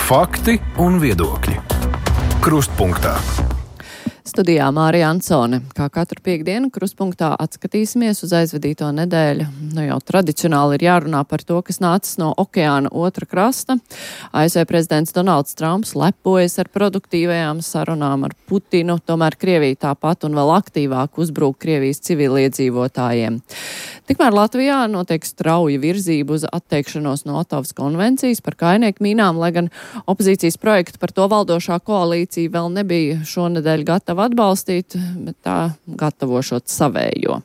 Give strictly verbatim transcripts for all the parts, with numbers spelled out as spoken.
Fakti un viedokļi. Krustpunktā. Studijā Mārija Ansone. Kā katru piekdienu krustpunktā atskatīsimies uz aizvadīto nedēļu. Nu jau tradicionāli ir jārunā par to, kas nācis no okeāna otra krasta. A S V prezidents Donalds Trumps lepojas ar produktīvajām sarunām ar Putinu, tomēr Krievija tāpat un vēl aktīvāk uzbrūk Krievijas civiliedzīvotājiem. Tikmēr Latvijā notiek strauja virzība uz atteikšanos no Otavas konvencijas par kainieku mīnām, lai gan opozīcijas projektu par to valdošā koalīcija vēl nebija šonedēļ gatava atbalstīt, bet tā gatavošot savējo.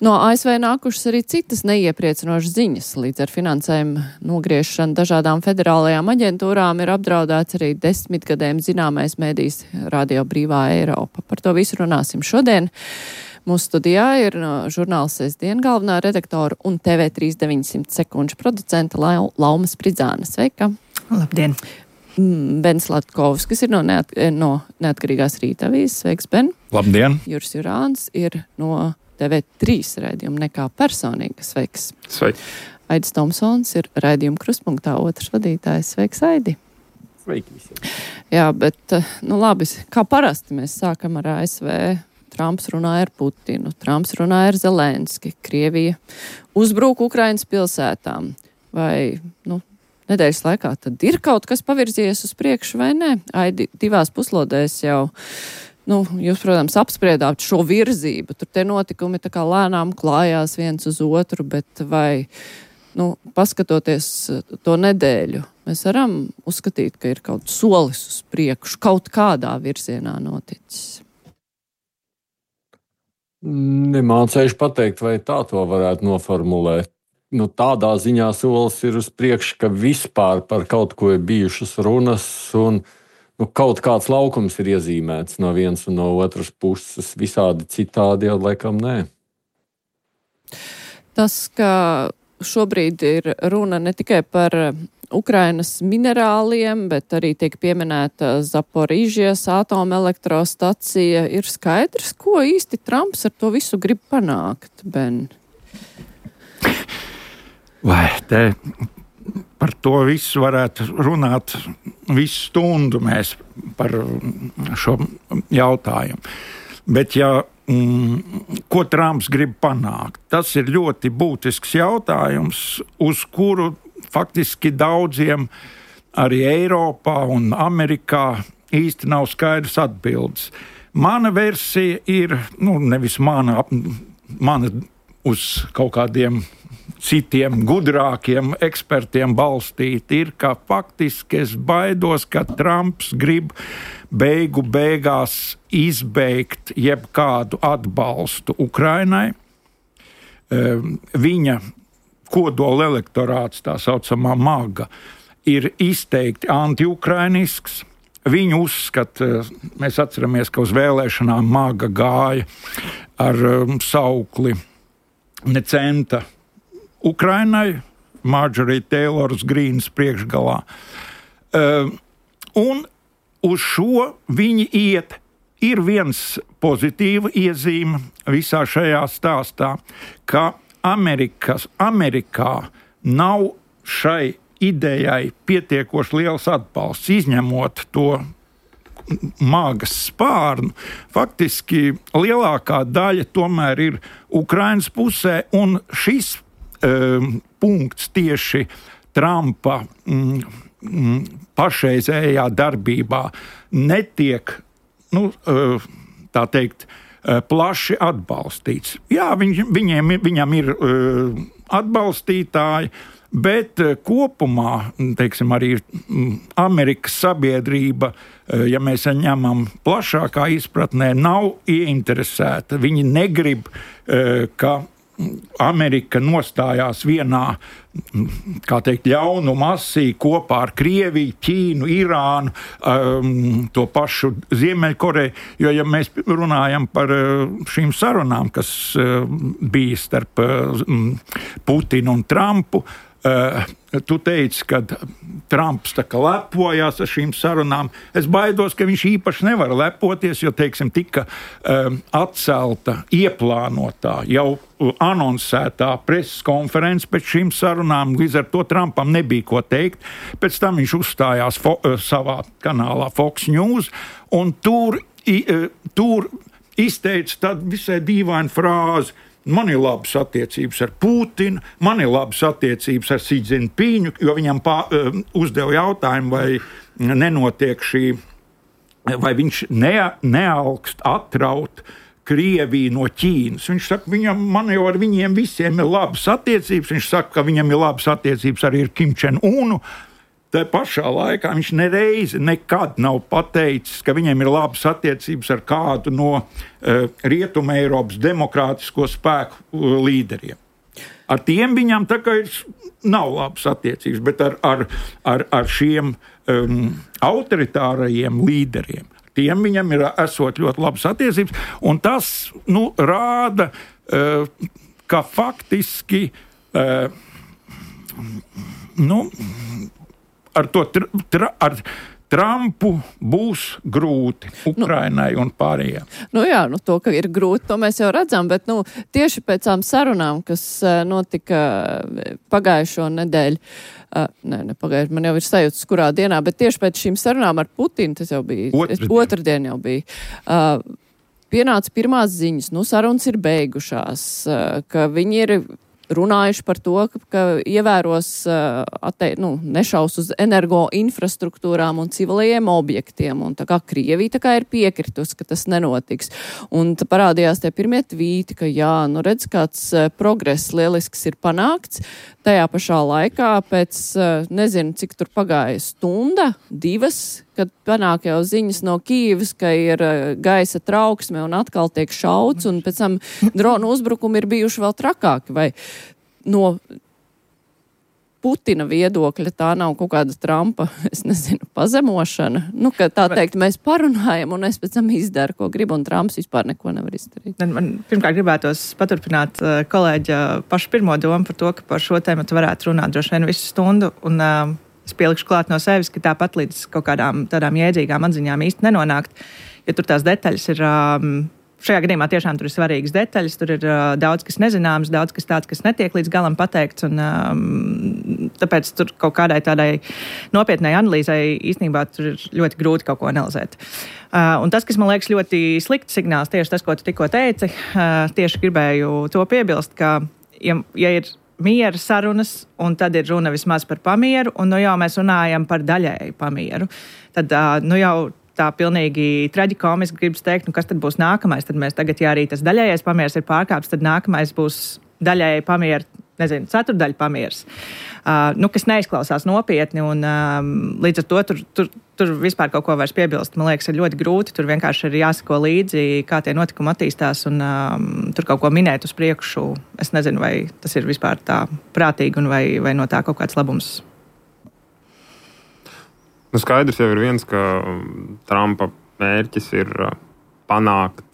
No A S V nākušas arī citas neiepriecinošas ziņas. Līdz ar finansējumu nogriešanu dažādām federālajām aģentūrām ir apdraudēts arī desmitgadēm zināmais mēdījis Radio Brīvā Eiropa. Par to visu runāsim šodien. Mūsu studijā ir no žurnāla Sestdien galvenā redaktora un T V trīs deviņsimt sekundžu producenta Lauma Spridzāne. Sveika! Labdien! Ben Slatkovs, kas ir no, neat, no Neatkarīgās Rītavīzes. Sveiks, Ben! Labdien! Juris Jurāns ir no T V trīs raidījuma Nekā personīga. Sveiks! Sveiki! Aidis Tomsons ir raidījuma Krustpunktā otrs vadītājs. Sveiks, Aidi! Sveiki visiem! Jā, bet, nu labi, kā parasti mēs sākam ar A S V. Trumps runāja ar Putinu, Trumps runāja ar Zelenski, Krievija uzbrūk Ukrainas pilsētām. Vai, nu, nedēļas laikā tad ir kaut kas pavirzījies uz priekšu vai nē? Aidi, divās puslodēs jau, nu, jūs, protams, apspriedāt šo virzību. Tur tie notikumi tā kā lēnām klājās viens uz otru, bet vai, nu, paskatoties to nedēļu, mēs varam uzskatīt, ka ir kaut solis uz priekšu, kaut kādā virzienā noticis? Nemācējuši pateikt, vai tā to varētu noformulēt. Nu, tādā ziņā solis ir uz priekšu, ka vispār par kaut ko ir bijušas runas un nu, kaut kāds laukums ir iezīmēts no vienas un no otras puses. Visādi citādi jau laikam nē. Tas, ka šobrīd ir runa ne tikai par Ukrainas minerāliem, bet arī tiek pieminēta Zaporīžijas atomelektrostacija, ir skaidrs, ko īsti Trumps ar to visu grib panākt, Ben? Vai te par to visu varētu runāt visu stundu mēs par šo jautājumu. Bet ja mm, ko Trumps grib panākt, tas ir ļoti būtisks jautājums, uz kuru faktiski daudziem arī Eiropā un Amerikā īsti nav skaidrs atbildes. Mana versija ir, nu, nevis mana, mana uz kaut kādiem citiem gudrākiem ekspertiem balstīt, ir, ka faktiski es baidos, ka Trumps grib beigu beigās izbeigt jebkādu atbalstu Ukrainai. Viņa kodola elektorāts, tā saucamā MAGA, ir izteikti anti-ukrainisks. Viņi uzskata, mēs atceramies, ka uz vēlēšanām MAGA gāja ar um, saukli ne centa Ukrainai, Marjorie Taylors Greens priekšgalā. Uh, un uz šo viņi iet. Ir viens pozitīva iezīme visā šajā stāstā, ka Amerikas, Amerikā nav šai idejai pietiekoši liels atbalsts, izņemot to māgas spārnu. Faktiski lielākā daļa tomēr ir Ukrainas pusē, un šis um, punkts tieši Trumpa mm, mm, pašreizējā darbībā netiek, nu, uh, tā teikt, plaši atbalstīts. Jā, viņ, viņiem, viņam ir uh, atbalstītāji, bet uh, kopumā, teiksim, arī Amerikas sabiedrība, uh, ja mēs ņemam plašākā izpratnē, nav ieinteresēta. Viņi negrib, uh, ka Amerika nostājās vienā, kā teikt, ļaunu masī kopā ar Krieviju, Ķīnu, Irānu, um, to pašu Ziemeļkoreju, jo, ja mēs runājam par uh, šīm sarunām, kas uh, bija starp uh, Putinu un Trumpu, uh, tu teici, ka Trumps tā kā lepojās ar šīm sarunām. Es baidos, ka viņš īpaši nevar lepoties, jo, teiksim, tika um, atcelta ieplānotā, jau anonsētā preses konferences pēc šīm sarunām, līdz ar to Trumpam nebija ko teikt. Pēc tam viņš uzstājās fo, savā kanālā Fox News, un tur, i, tur izteica tādu visai dīvainu frāzi: man ir labas attiecības ar Putinu, man ir labas attiecības ar Xi Jinpingu, jo viņam pā, uzdeva jautājumu, vai nenotiek šī, vai viņš ne, nealkst atraut Krieviju no Ķīnas. Viņš saka, viņam, man jau ar viņiem visiem ir labas attiecības. Viņš saka, ka viņam ir labas attiecības arī ar Kim Čen-unu. Tā pašā laikā viņš nereizi nekad nav pateicis, ka viņam ir labas attiecības ar kādu no uh, Rietuma Eiropas demokrātisko spēku uh, līderiem. Ar tiem viņam tā kā ir nav labas attiecības, bet ar, ar, ar, ar šiem um, autoritārajiem līderiem. Tiem viņam ir esot ļoti labas attiecības, un tas nu, rāda, uh, ka faktiski uh, nu, ar to tra, tra, ar Trumpu būs grūti Ukrainai nu, un pārējiem. Nu jā, nu to, ka ir grūti, to mēs jau redzam, bet nu, tieši pēc tām sarunām, kas uh, notika pagājušo nedēļu, uh, ne, ne pagājuši, man jau ir sajūtas, kurā dienā, bet tieši pēc šīm sarunām ar Putinu, tas jau bija, Otradien, otrdien jau bija, uh, pienāca pirmās ziņas, nu sarunas ir beigušās, uh, ka viņi ir runājuši par to, ka, ka ievēros, atte, nu, nešaus uz energo infrastruktūrām un civilajiem objektiem, un tā kā Krievija tā kā ir piekritus, ka tas nenotiks. Un tā parādījās tie pirmie tvīti, ka jā, nu redz, kāds progress lielisks ir panākts. Tajā pašā laikā pēc, nezinu, cik tur pagāja stunda, divas, kad panāk jau ziņas no Kīvas, ka ir gaisa trauksme un atkal tiek šauts, un pēc tam dronu uzbrukumi ir bijuši vēl trakāki, vai no Putina viedokļa tā nav kaut kāda Trumpa, es nezinu, pazemošana. Nu, ka tā teikt, mēs parunājam, un es pēc tam izdaru, ko gribu, un Trumps vispār neko nevar izdarīt. Man pirmkārt gribētos paturpināt kolēģa pašu pirmo domu par to, ka par šo tēmatu varētu runāt droši vien visu stundu, un uh, es pielikšu klāt no sevis, ka tāpat līdz kaut kādām tādām jēdzīgām atziņām īsti nenonākt, jo tur tās detaļas ir... Um, Šajā gadījumā tiešām tur ir svarīgas detaļas, tur ir uh, daudz, kas nezināms, daudz, kas tāds, kas netiek līdz galam pateikts, un um, tāpēc tur kaut kādai tādai nopietnai analīzei īstenībā tur ir ļoti grūti kaut ko analizēt. Uh, un tas, kas man liekas ļoti slikts signāls, tieši tas, ko tu tikko teici, uh, tieši gribēju to piebilst, ka, ja, ja ir miera sarunas, un tad ir runa vismaz par pamieru, un nu jau mēs runājam par daļēju pamieru, tad uh, nu jau tā pilnīgi traģikomiski gribas teikt, nu kas tad būs nākamais, tad mēs tagad, ja arī tas daļējais pamieris ir pārkāpts, tad nākamais būs daļēji pamieri, nezinu, ceturdaļa pamieris, uh, nu, kas neizklausās nopietni, un um, līdz ar to tur, tur, tur vispār kaut ko vairs piebilst, man liekas, ir ļoti grūti, tur vienkārši ir jāsako līdzi, kā tie notikumi attīstās, un um, tur kaut ko minēt uz priekšu, es nezinu, vai tas ir vispār tā prātīgi, un vai, vai no tā kaut kāds labums. Nu, skaidrs jau ir viens, ka Trumpa mērķis ir panākt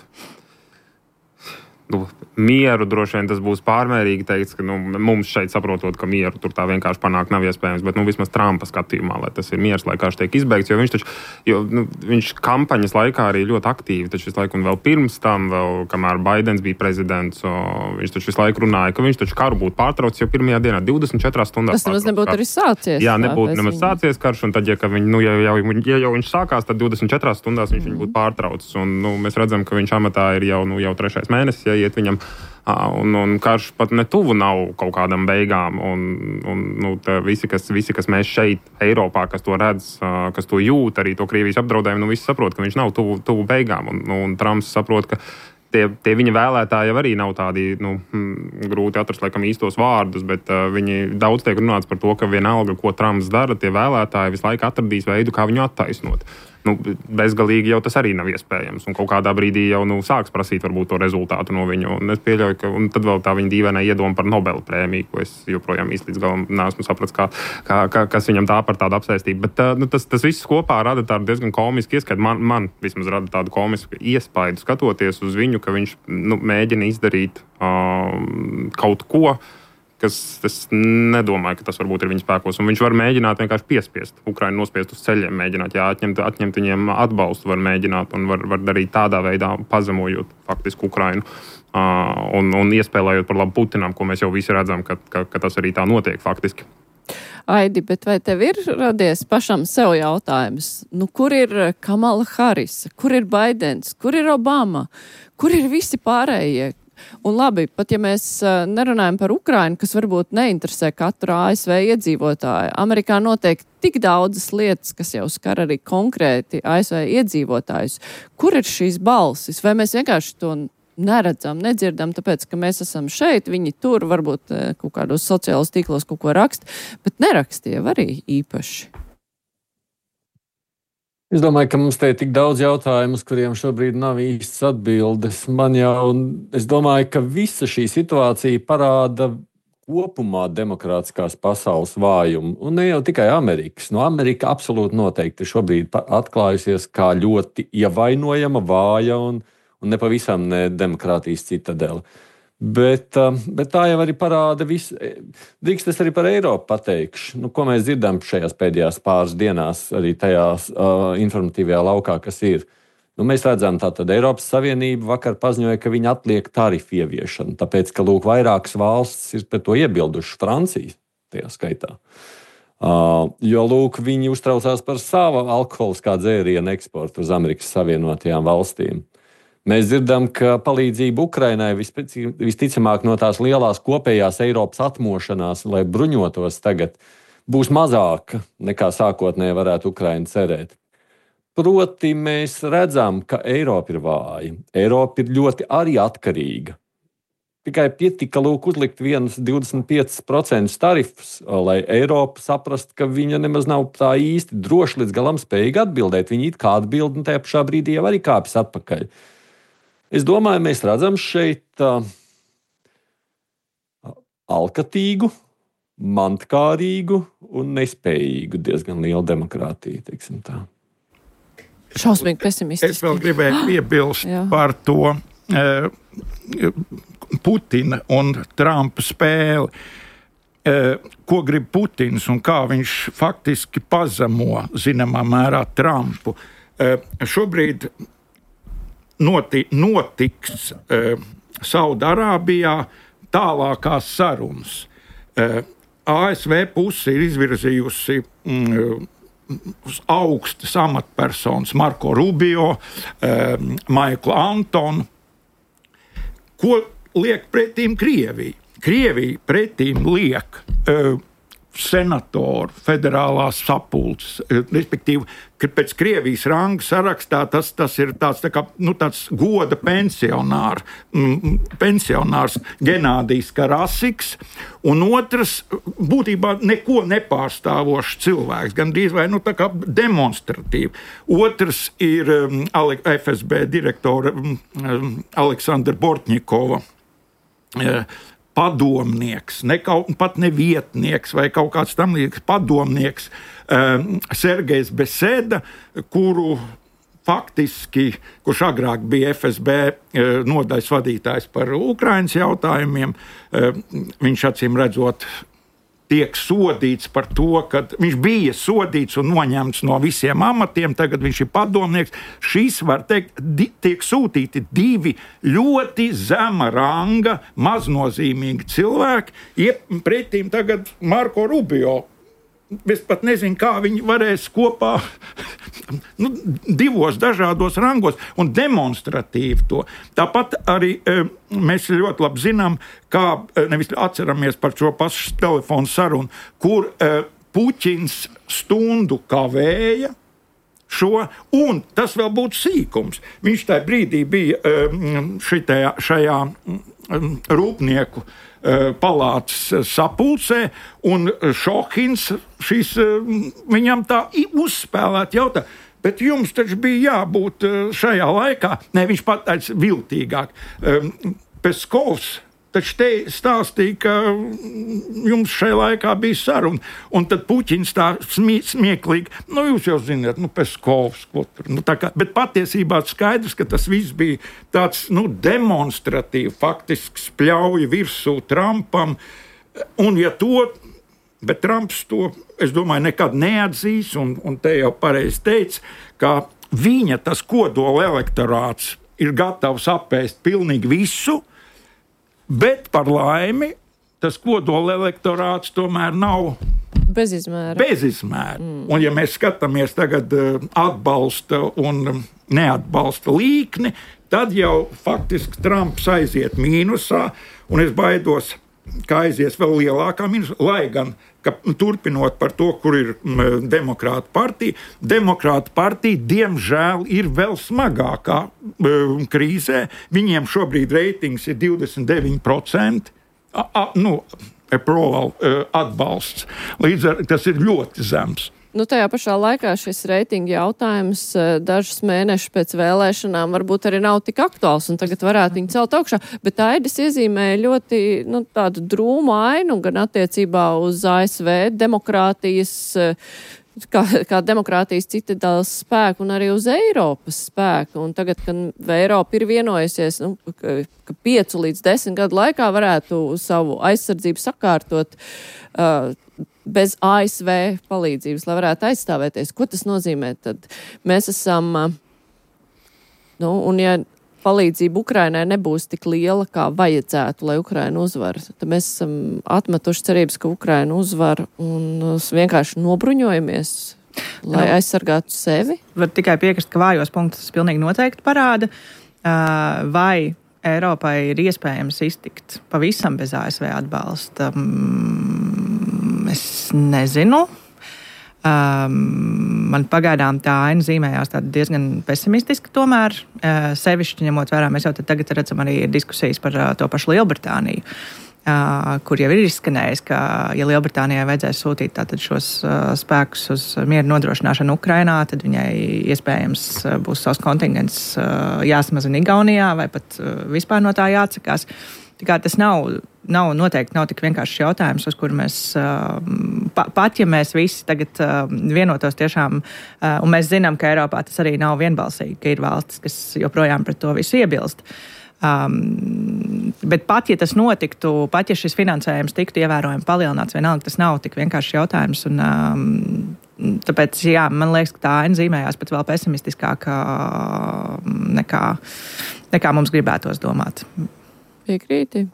nu, mieru. Droši vien tas būs pārmērīgi teikts, ka nu, mums šeit saprotot, ka mieru tur tā vienkārši panākt nav iespējams, bet nu, vismaz Trumpa skatījumā, lai tas ir miers, lai karš tiek izbeigts, jo viņš taču, jo, nu, viņš kampaņas laikā arī ļoti aktīvi, taču visu laiku un vēl pirms tam, vēl, kamēr Baidens bija prezidents, o, viņš taču visu laiku runāja, ka viņš taču karu būtu pārtraucis jau pirmajā dienā, divdesmit četrās stundās. Tas nemaz nebūtu arī sācies. Jā, nebūtu nemaz sācies karš, un tad, ja, viņi, nu, ja, jau, ja jau viņš sākās, tad divdesmit četrās stundās viņš mm. viņu būtu pārtraucis, un nu, mēs redzam, ka viņš amatā ir jau, nu, jau trešais mēnesis, ja iet viņam. Un, un karš pat netuvu nav kaut kādam beigām, un, un nu, visi, kas, visi, kas mēs šeit Eiropā, kas to redz, kas to jūt, arī to Krievijas apdraudējumu, nu visi saprot, ka viņš nav tuvu, tuvu beigām, un, un Trumps saprot, ka tie, tie viņa vēlētāji arī nav tādi, nu, grūti atrast laikam īstos vārdus, bet uh, viņi daudz tiek runāts par to, ka vienalga, ko Trumps dara, tie vēlētāji visu laiku atradīs veidu, kā viņu attaisnot. Nu, bezgalīgi jau tas arī nav iespējams, un kaut kādā brīdī jau nu, sāks prasīt varbūt to rezultātu no viņu, un es pieļauju, ka un tad vēl tā viņa dīvainā iedoma par Nobela prēmiju, ko es joprojām īsti līdz galam neesmu sapratis, kā, kā, kā, kas viņam tā par tādu apsēstību, bet nu, tas, tas viss kopā rada tādu diezgan komisku ieskatu, man, man vismaz rada tādu komisku iespaidu skatoties uz viņu, ka viņš nu, mēģina izdarīt um, kaut ko, kas es nedomāju, ka tas varbūt ir viņa spēkos. Un viņš var mēģināt vienkārši piespiest Ukrainu, nospiest uz ceļiem, mēģināt, jā, atņemt, atņemt viņiem atbalstu, var mēģināt un var, var darīt tādā veidā, pazemojot faktiski Ukrainu uh, un, un iespēlējot par labu Putinam, ko mēs jau visi redzam, ka, ka, ka tas arī tā notiek faktiski. Aidi, bet vai tev ir radies pašam sev jautājums? Nu, kur ir Kamala Harisa? Kur ir Baidens? Kur ir Obama? Kur ir visi pārējie? Un labi, pat ja mēs nerunājam par Ukrainu, kas varbūt neinteresē katru A S V iedzīvotāju, Amerikā notiek tik daudzas lietas, kas jau skar arī konkrēti A S V iedzīvotājus. Kur ir šīs balsis? Vai mēs vienkārši to neredzam, nedzirdam, tāpēc, ka mēs esam šeit, viņi tur varbūt kaut kādos sociālos tīklos kaut ko rakst, bet nerakstīja arī īpaši. Es domāju, ka mums te ir tik daudz jautājumu, uz kuriem šobrīd nav īstas atbildes. Man jau, es domāju, ka visa šī situācija parāda kopumā demokrātiskās pasaules vājumu, un ne jau tikai Amerikas. No Amerika absolūti noteikti šobrīd atklājusies kā ļoti ievainojama, vāja un un nepavisam ne demokrātijas citadela. Bet, bet tā jau arī parāda visu. Drīkst es arī par Eiropu pateikšu, nu, ko mēs dzirdam šajās pēdējās pāris dienās, arī tajās uh, informatīvajā laukā, kas ir. Nu, mēs redzam, tātad Eiropas Savienība vakar paziņoja, ka viņi atliek tarifu ieviešanu, tāpēc, ka, lūk, vairākas valstis ir pret to iebilduši, Francija tajā skaitā. Uh, jo, lūk, viņi uztraucās par savu alkoholiskā dzērienu eksportu uz Amerikas Savienotajām valstīm. Mēs dzirdam, ka palīdzība Ukrainai visticamāk no tās lielās kopējās Eiropas atmošanās, lai bruņotos tagad, būs mazāka nekā sākotnēji varētu Ukraina cerēt. Proti mēs redzam, ka Eiropa ir vāja. Eiropa ir ļoti arī atkarīga. Tikai pietika lūk uzlikt vienus divdesmit piecus procentus tarifus, lai Eiropa saprast, ka viņa nemaz nav tā īsti droši līdz galam spējīga atbildēt. Viņi it kā atbild un tajā pašā brīdī jau arī kāpjas atpakaļ. Es domāju, mēs redzam šeit uh, alkatīgu, mantkārīgu un nespējīgu diezgan lielu demokrātiju, teiksim tā. Šausmīgi pesimistiski. Es vēl gribēju piebilst par to uh, Putina un Trumpa spēli. Uh, ko grib Putins un kā viņš faktiski pazemo, zināmā mērā, Trumpu. Uh, šobrīd Noti, notiks uh, Saudarābijā tālākās sarunas. Uh, A S V puse ir izvirzījusi um, augstas amatpersonas Marko Rubio, um, Maiklu Antonu. Ko liek pretīm Krievija? Krievija pretīm liek uh, senatoru federālās sapulces, respektīvi, ka pēc Krievijas ranga sarakstā tas, tas ir tāds, tā kā, nu, tāds goda pensionār, mm, pensionārs Genādijs Karasiks, un otrs būtībā neko nepārstāvošs cilvēks, gandrīz vai nu, tā kā demonstratīvi. Otrs ir um, F S B direktora um, Aleksandra Bortņikova uh, padomnieks, ne kaut, pat ne vietnieks vai kaut kāds tam līdzīgs padomnieks um, Sergejs Beseda, kuru faktiski, kurš agrāk bija F S B uh, nodaļas vadītājs par Ukrainas jautājumiem, uh, viņš acīm redzot tiek sodīts par to, ka viņš bija sodīts un noņemts no visiem amatiem, tagad viņš ir padomnieks. Šis, var teikt, di- tiek sūtīti divi ļoti zema ranga, maznozīmīgi cilvēki, iep pretīm tagad Marko Rubio. Es pat nezinu, kā viņi varēs kopā nu, divos dažādos rangos un demonstratīvi to. Tāpat arī e, mēs ļoti labi zinām, kā e, nevis atceramies par šo pašu telefonu sarunu, kur e, Puķins stundu kavēja šo, un tas vēl būtu sīkums. Viņš tajā brīdī bija e, šitajā, šajā rūpnieku palātas sapulcē, un Šohins šis, viņam tā uzspēlēt jautā, bet jums taču bija jābūt šajā laikā, ne, viņš pateica viltīgāk. Peskovs taču te stāstīja, ka jums šajā laikā bija saruna, un tad Puķins tā smie, smieklīgi, nu jūs jau zināt, nu Peskovs, ko tur, nu tā kā, bet patiesībā skaidrs, ka tas viss bija tāds, nu, demonstratīvi, faktiski spļauja virsū Trumpam, Un ja to, bet Trumps to, es domāju, nekad neatzīs, un, un te jau pareizi teica, ka viņa tas kodola elektorāts ir gatavs apēst pilnīgi visu, bet par laimi tas kodola elektorāts tomēr nav bezizmēra. bezizmēra. Mm. Un ja mēs skatāmies tagad atbalsta un neatbalsta līkni, tad jau faktiski Trumps aiziet mīnusā, un es baidos, ka aizies vēl lielākā mīnusā, lai gan, ka turpinot par to, kur ir m, demokrāta partija, demokrāta partija, diemžēl, ir vēl smagākā m, krīzē. Viņiem šobrīd reitings ir divdesmit deviņi procenti. A, a, nu, approval, uh, atbalsts. Līdz ar tas ir ļoti zems. Nu, tajā pašā laikā šis reitinga jautājums dažus mēnešus pēc vēlēšanām varbūt arī nav tik aktuāls, un tagad varētu viņu celt augšā. Bet Aidis iezīmēja ļoti nu, tādu drūmu ainu gan attiecībā uz A S V demokrātijas, kā, kā demokrātijas citadēlas spēku, un arī uz Eiropas spēku. Un tagad, kad Eiropa ir vienojusies, nu, ka, ka piecu līdz desmit gadu laikā varētu savu aizsardzību sakārtot, uh, bez A S V palīdzības, lai varētu aizstāvēties. Ko tas nozīmē? Tad mēs esam, nu, un ja palīdzība Ukrainai nebūs tik liela, kā vajadzētu, lai Ukraina uzvar, tad mēs esam atmetuši cerības, ka Ukraina uzvar un vienkārši nobruņojamies, lai no. aizsargātu sevi. Var tikai piekrist, ka vājos punktus pilnīgi noteikti parāda, vai Eiropai ir iespējams iztikt pavisam bez A S V atbalsta. Es nezinu. Um, man pagaidām tā aina zīmējās diezgan pesimistiski tomēr. Uh, sevišķi ņemot vērā, mēs jau tagad redzam arī diskusijas par uh, to pašu Lielbritāniju, uh, kur jau ir izskanējis, ka ja Lielbritānijai vajadzēs sūtīt tātad šos uh, spēkus uz mieru nodrošināšanu Ukrainā, tad viņai iespējams uh, būs savs kontingents uh, jāsamazina Igaunijā vai pat uh, vispār no tā jāatsakās. Tā kā tas nav, nav noteikti nav tik vienkāršs jautājums, uz kuru mēs, pa, pat ja mēs visi tagad vienotos tiešām, un mēs zinām, ka Eiropā tas arī nav vienbalsīgi, ka ir valstis, kas joprojām pret to visu iebilst. Um, bet pat, ja tas notiktu, pat, ja šis finansējums tiktu ievērojami palielināts, vienalga tas nav tik vienkāršs jautājums, un um, tāpēc, jā, man liekas, ka tā aina zīmējās pat vēl pesimistiskāk nekā, nekā mums gribētos domāt. Piekrīti.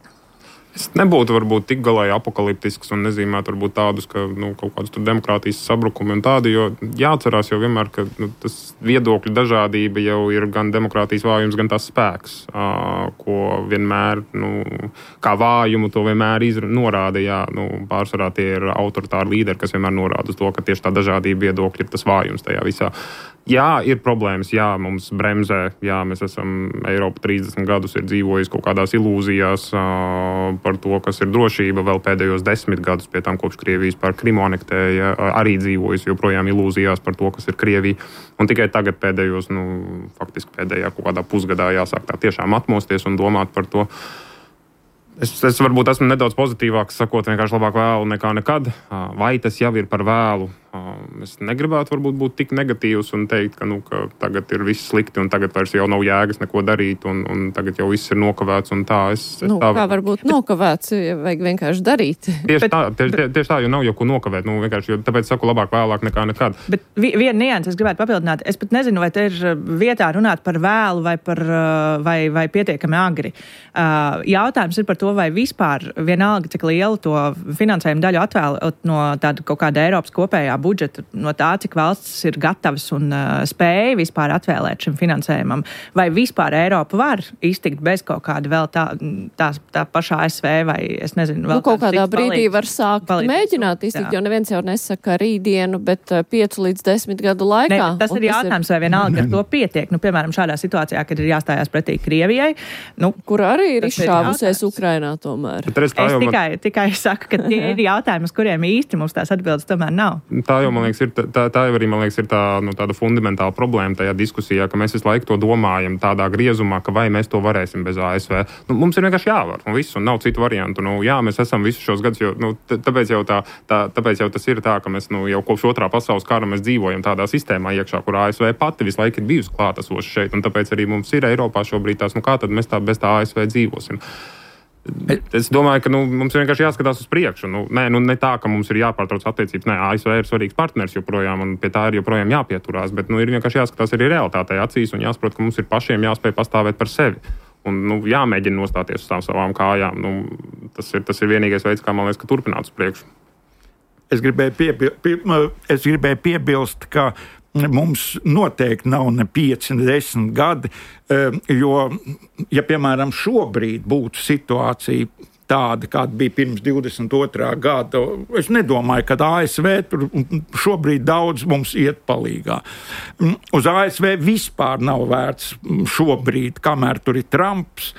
Es nebūtu varbūt tik galēji apokaliptisks un nezīmētu varbūt tādus, ka nu, kaut kādus tur demokrātijas sabrukumi un tādi, jo jāatcerās jau vienmēr, ka nu, tas viedokļu dažādība jau ir gan demokrātijas vājums, gan tas spēks, uh, ko vienmēr, nu, kā vājumu to vienmēr izra, norāda, jā, nu, pārsvarā tie ir autoritāri līderi, kas vienmēr norāda uz to, ka tieši tā dažādība viedokļi ir tas vājums tajā visā. Jā, ir problēmas, jā, mums bremzē, jā, mēs esam, Eiropa trīsdesmit gadus ir dzīvojusi kaut kādās ilūzijās uh, par to, kas ir drošība, vēl pēdējos desmit gadus pie tām kopš Krievijas pār Krimu anektēja, uh, arī dzīvojusi joprojām ilūzijās par to, kas ir Krievija, un tikai tagad pēdējos, nu, faktiski pēdējā kaut kādā pusgadā jāsāk tā tiešām atmosties un domāt par to. Es, es varbūt esmu nedaudz pozitīvāks, sakot vienkārši labāk vēlu nekā nekad, uh, vai tas jau ir par vēlu. Es negribētu varbūt būt tik negatīvs un teikt, ka, nu, ka tagad ir viss slikti un tagad vairs jau nav jēgas neko darīt un, un tagad jau viss ir nokavēts un tā. Es, es nu, tā kā varbūt nokavēts, ja vajag vienkārši darīt. Tieši, bet, tā, tieši, tieši tā, jo nav jau ko nokavēt. Nu, vienkārši, jo tāpēc saku labāk vēlāk nekā nekad. Bet viena nianse es gribētu papildināt. Es pat nezinu, vai te ir vietā runāt par vēlu vai, par, vai, vai pietiekami agri. Jautājums ir par to, vai vispār vienalga, cik lielu to finansējumu daļu atvēlēt no tāda kaut kāda Eiropas kopējā budžeta, no tā, cik valstis ir gatavas un uh, spēja vispār atvēlēt šim finansējumam, vai vispār Eiropa var iztikt bez kaut kāda vēl tā, tā, tā pašā A S V vai, es nezinu, vēl nu, kaut kādā brīdī palīdz, var sākt palīdz, mēģināt iztikt, jā. Jo neviens jau nesaka rītdienu, bet uh, piecu līdz desmit gadu laikā. Ne, tas ir jautājums, vai vienalga ar to pietiek. Nu, piemēram, šādā situācijā, kad ir jāstājās pretī Krievijai. Nu, kur arī ir izšāvusies Ukrainā tomēr. Es tikai, man... tikai saku, ka tie ir jautājumi, uz kuriem īsti mums tās atbildes tomēr nav. Tā jau, man liekas, ir, tā, tā jau arī, man liekas, ir tā, nu, tāda fundamentāla problēma tajā diskusijā, ka mēs visu laiku to domājam tādā griezumā, ka vai mēs to varēsim bez A S V. Nu, mums ir vienkārši jāvar, un viss, un nav citu variantu. Nu, jā, mēs esam visus šos gadus, jo, nu, tāpēc, jau tā, tā, tāpēc jau tas ir tā, ka mēs nu, jau kopš otrā pasaules kara mēs dzīvojam tādā sistēmā iekšā, kur A S V pati visu laiku ir bijusi klātesoša šeit, un tāpēc arī mums ir Eiropā šobrīd tās, nu kā tad mēs tā bez tā A S V dzīvosim. Es domāju, ka nu, mums vienkārši jāskatās uz priekšu. Nu, nē, nu, ne tā, ka mums ir jāpārtrauc attiecības. Nē, A S V ir svarīgs partners joprojām, un pie tā ir joprojām jāpieturās. Bet nu, ir vienkārši jāskatās arī realitātei acīs un jāsaprot, ka mums ir pašiem jāspēj pastāvēt par sevi. Un nu, jāmēģina nostāties uz tām savām kājām. Nu, tas, ir, tas ir vienīgais veids, kā man liekas, ka turpināt uz priekšu. Es gribēju, piebil, pie, es gribēju piebilst, ka mums noteikti nav ne pieci, ne desmit gadi, jo, ja, piemēram, šobrīd būtu situācija tāda, kāda bija pirms divdesmit otrā gada, es nedomāju, ka A S V tur šobrīd daudz mums iet palīgā. Uz A S V vispār nav vērts šobrīd, kamēr tur ir Trumps,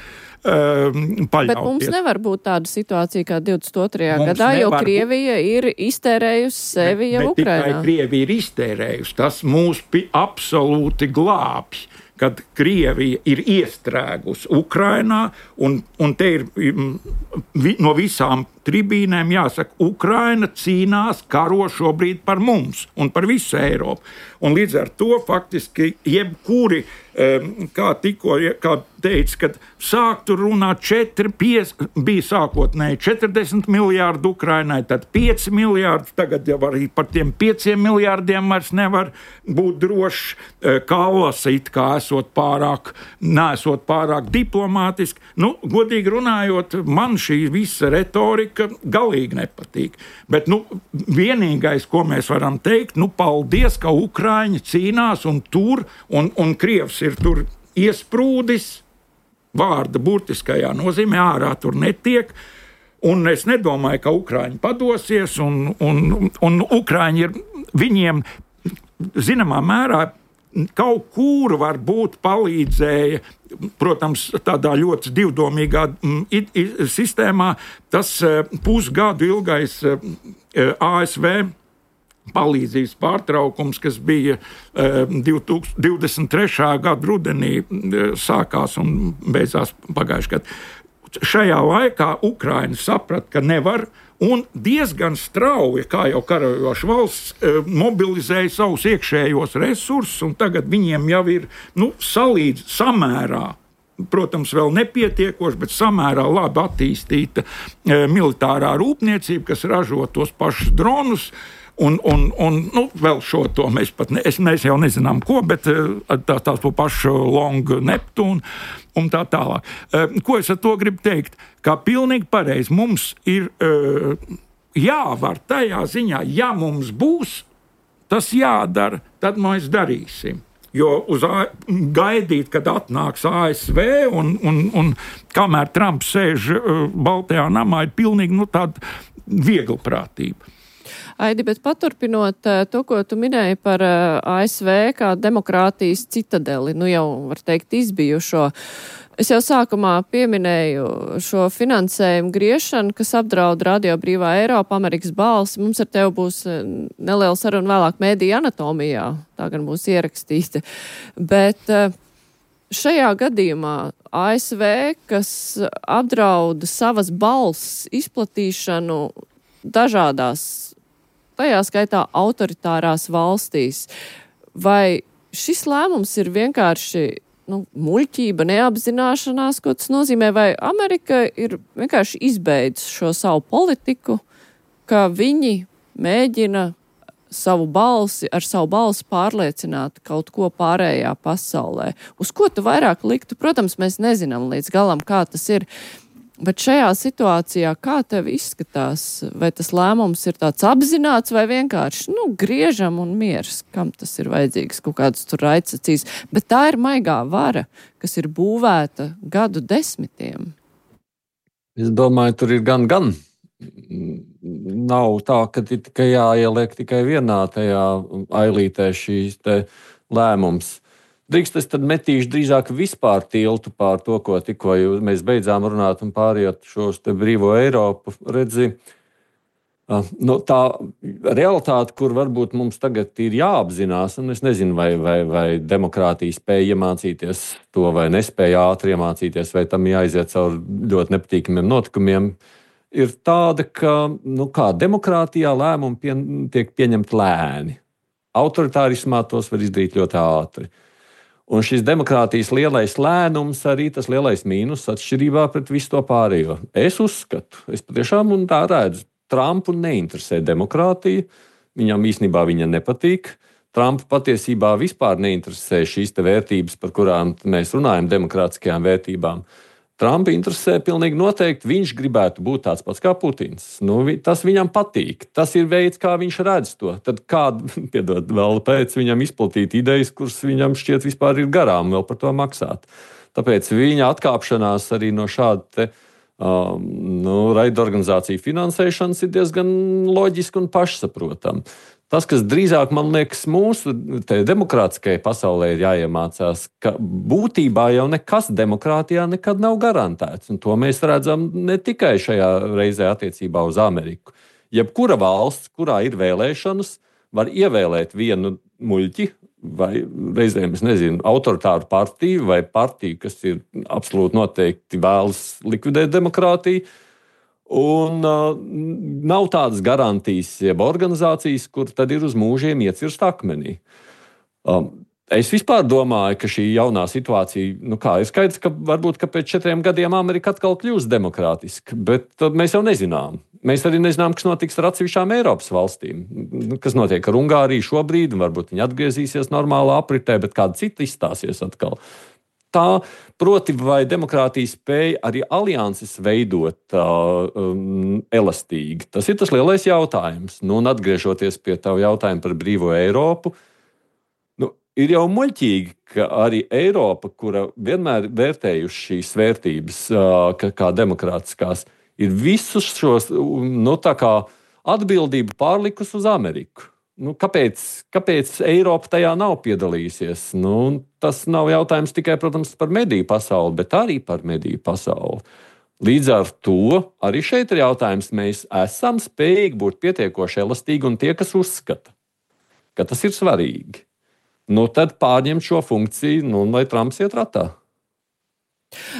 paļauties. Bet mums nevar būt tāda situācija kā divdesmit otrajā gadā, jo Krievija ir iztērējusi sevi jau Ukrainā. Ne tikai Krievija ir iztērējusi, tas mūs absolūti glābj, kad Krievija ir iestrēgusi Ukrainā, un, un te ir vi, no visām tribīnēm jāsaka, Ukraina cīnās, karo šobrīd par mums un par visu Eiropu. Un līdz ar to faktiski jebkuri, kā tikko kā teica, kad sāktu runāt četri, pieci, bija sākotnēji četrdesmit miljārdi Ukrainai, tad pieci miljārdi, tagad jau arī par tiem pieciem miljārdiem vairs nevar būt drošs, Kallas it kā esot pārāk, neesot pārāk diplomātiski. Nu, godīgi runājot, man šī visa retorika galīgi nepatīk. Bet, nu, vienīgais, ko mēs varam teikt, nu, paldies, ka Ukraiņi cīnās un tur, un, un Krievs ir tur iesprūdis, vārda burtiskajā nozīmē, ārā tur netiek, un es nedomāju, ka Ukraiņi padosies, un, un, un Ukraiņi ir, viņiem, zināmā mērā, kaut kur varbūt palīdzēja, protams, tādā ļoti divdomīgā it, it, sistēmā, tas pusgadu ilgais A S V palīdzības pārtraukums, kas bija divdesmit trešā gada rudenī sākās un beidzās pagājušajā gadā. Šajā laikā Ukraina saprata, ka nevar, un diezgan strauji, kā jau karajoša valsts, mobilizēja savus iekšējos resursus, un tagad viņiem jau ir nu, salīdz samērā, protams, vēl nepietiekoši, bet samērā labi attīstīta e, militārā rūpniecība, kas ražo tos pašus dronus, un, un, un nu, vēl šo to mēs pat ne, es, mēs jau nezinām ko, bet tā, tās po pašu Long Neptūnu un tā tālāk. E, ko es ar to gribu teikt? Kā pilnīgi pareizi, mums ir e, jāvar tajā ziņā, ja mums būs tas jādara, tad mēs darīsim. Jo uz A, gaidīt, kad atnāks A S V un, un, un kamēr Trumps sēž uh, Baltajā namā, ir pilnīgi nu, tāda vieglprātība. Aidi, bet paturpinot uh, to, ko tu minēji par uh, A S V kā demokrātijas citadeli, nu jau var teikt izbijušo. Es jau sākumā pieminēju šo finansējumu griešanu, kas apdraud Radio Brīvā Eiropa, Amerikas balsi. Mums ar tevi būs neliela saruna vēlāk mēdīja anatomijā, tā gan būs ierakstīta. Bet šajā gadījumā A S V, kas apdraud savas balss izplatīšanu dažādās, tajā skaitā autoritārās valstīs, vai šis lēmums ir vienkārši nu, muļķība, neapzināšanās, ko tas nozīmē, vai Amerika ir vienkārši izbeidz šo savu politiku, ka viņi mēģina savu balsi, ar savu balsi pārliecināt kaut ko pārējā pasaulē. Uz ko tu vairāk liktu? Protams, mēs nezinām līdz galam, kā tas ir, bet šajā situācijā kā tev izskatās? Vai tas lēmums ir tāds apzināts vai vienkārši, nu, griežam un miers, kam tas ir vajadzīgs, kaut kāds tur raidsacīs. Bet tā ir maigā vara, kas ir būvēta gadu desmitiem. Es domāju, tur ir gan, gan. Nav tā, ka ir tikai jāieliek tikai vienā tajā ailītē šīs te lēmums. Drīkst es tad metīšu drīzāk vispār tiltu pār to, ko tikko mēs beidzām runāt un pārējot šos te brīvo Eiropu, redzi. Nu, tā realitāte, kur varbūt mums tagad ir jāapzinās, un es nezinu, vai, vai, vai demokrātija spēja iemācīties to, vai nespēja ātri iemācīties, vai tam jāiziet caur ļoti nepatīkamiem notikumiem, ir tāda, ka, nu kā, demokrātijā lēmumi pie, tiek pieņemti lēni. Autoritārismā tos var izdarīt ļoti ātri. Un šis demokrātijas lielais lēnums arī tas lielais mīnus atšķirībā pret visu to pārējo. Es uzskatu, es patiešām un tā redzu, Trumpu neinteresē demokrātija, viņam īstenībā viņa nepatīk. Trumpu patiesībā vispār neinteresē šīs te vērtības, par kurām mēs runājam, demokrātiskajām vērtībām. Trumpu interesē pilnīgi noteikti, viņš gribētu būt tāds pats kā Putins. Nu, tas viņam patīk, tas ir veids, kā viņš redz to. Tad kādu, piedod, vēl pēc viņam izplatīt idejas, kuras viņam šķiet vispār ir garām vēl par to maksāt. Tāpēc viņa atkāpšanās arī no šāda te, um, nu, raidorganizāciju finansēšanas ir diezgan loģiski un pašsaprotami. Tas, kas drīzāk, man liekas, mūsu demokrātiskajai pasaulē ir jāiemācās, ka būtībā jau nekas demokrātijā nekad nav garantēts. Un to mēs redzam ne tikai šajā reizē attiecībā uz Ameriku. Jebkura valsts, kurā ir vēlēšanas, var ievēlēt vienu muļķi vai reizēm, es nezinu, autoritāru partiju vai partiju, kas ir absolūti noteikti vēlas likvidēt demokrātiju. Un uh, nav tādas garantijas, jeb organizācijas, kur tad ir uz mūžiem iecirst akmenī. Um, es vispār domāju, ka šī jaunā situācija, nu kā, ir skaidrs, ka varbūt ka pēc četriem gadiem Amerika atkal kļūs demokrātiska, bet uh, mēs jau nezinām. Mēs arī nezinām, kas notiks ar atsevišķām Eiropas valstīm, kas notiek ar Ungāriju šobrīd, un varbūt viņi atgriezīsies normālā apritē, bet kāda cita izstāsies atkal. Tā, proti, vai demokrātija spēja arī alianses veidot uh, um, elastīgi. Tas ir tas lielais jautājums. Nu, un atgriežoties pie tavu jautājumu par brīvo Eiropu, nu, ir jau muļķīgi, ka arī Eiropa, kura vienmēr vērtējuši šīs vērtības uh, kā, kā demokrātiskās, ir visus šos nu, tā kā atbildību pārlikus uz Ameriku. Nu, kāpēc, kāpēc Eiropa tajā nav piedalījusies? Nu, tas nav jautājums tikai, protams, par mediju pasauli, bet arī par mediju pasauli. Līdz ar to arī šeit ir jautājums, mēs esam spējīgi būt pietiekoši elastīgi un tie, kas uzskata, ka tas ir svarīgi. Nu, tad pārņemt šo funkciju, nu, lai Trumps iet ratā.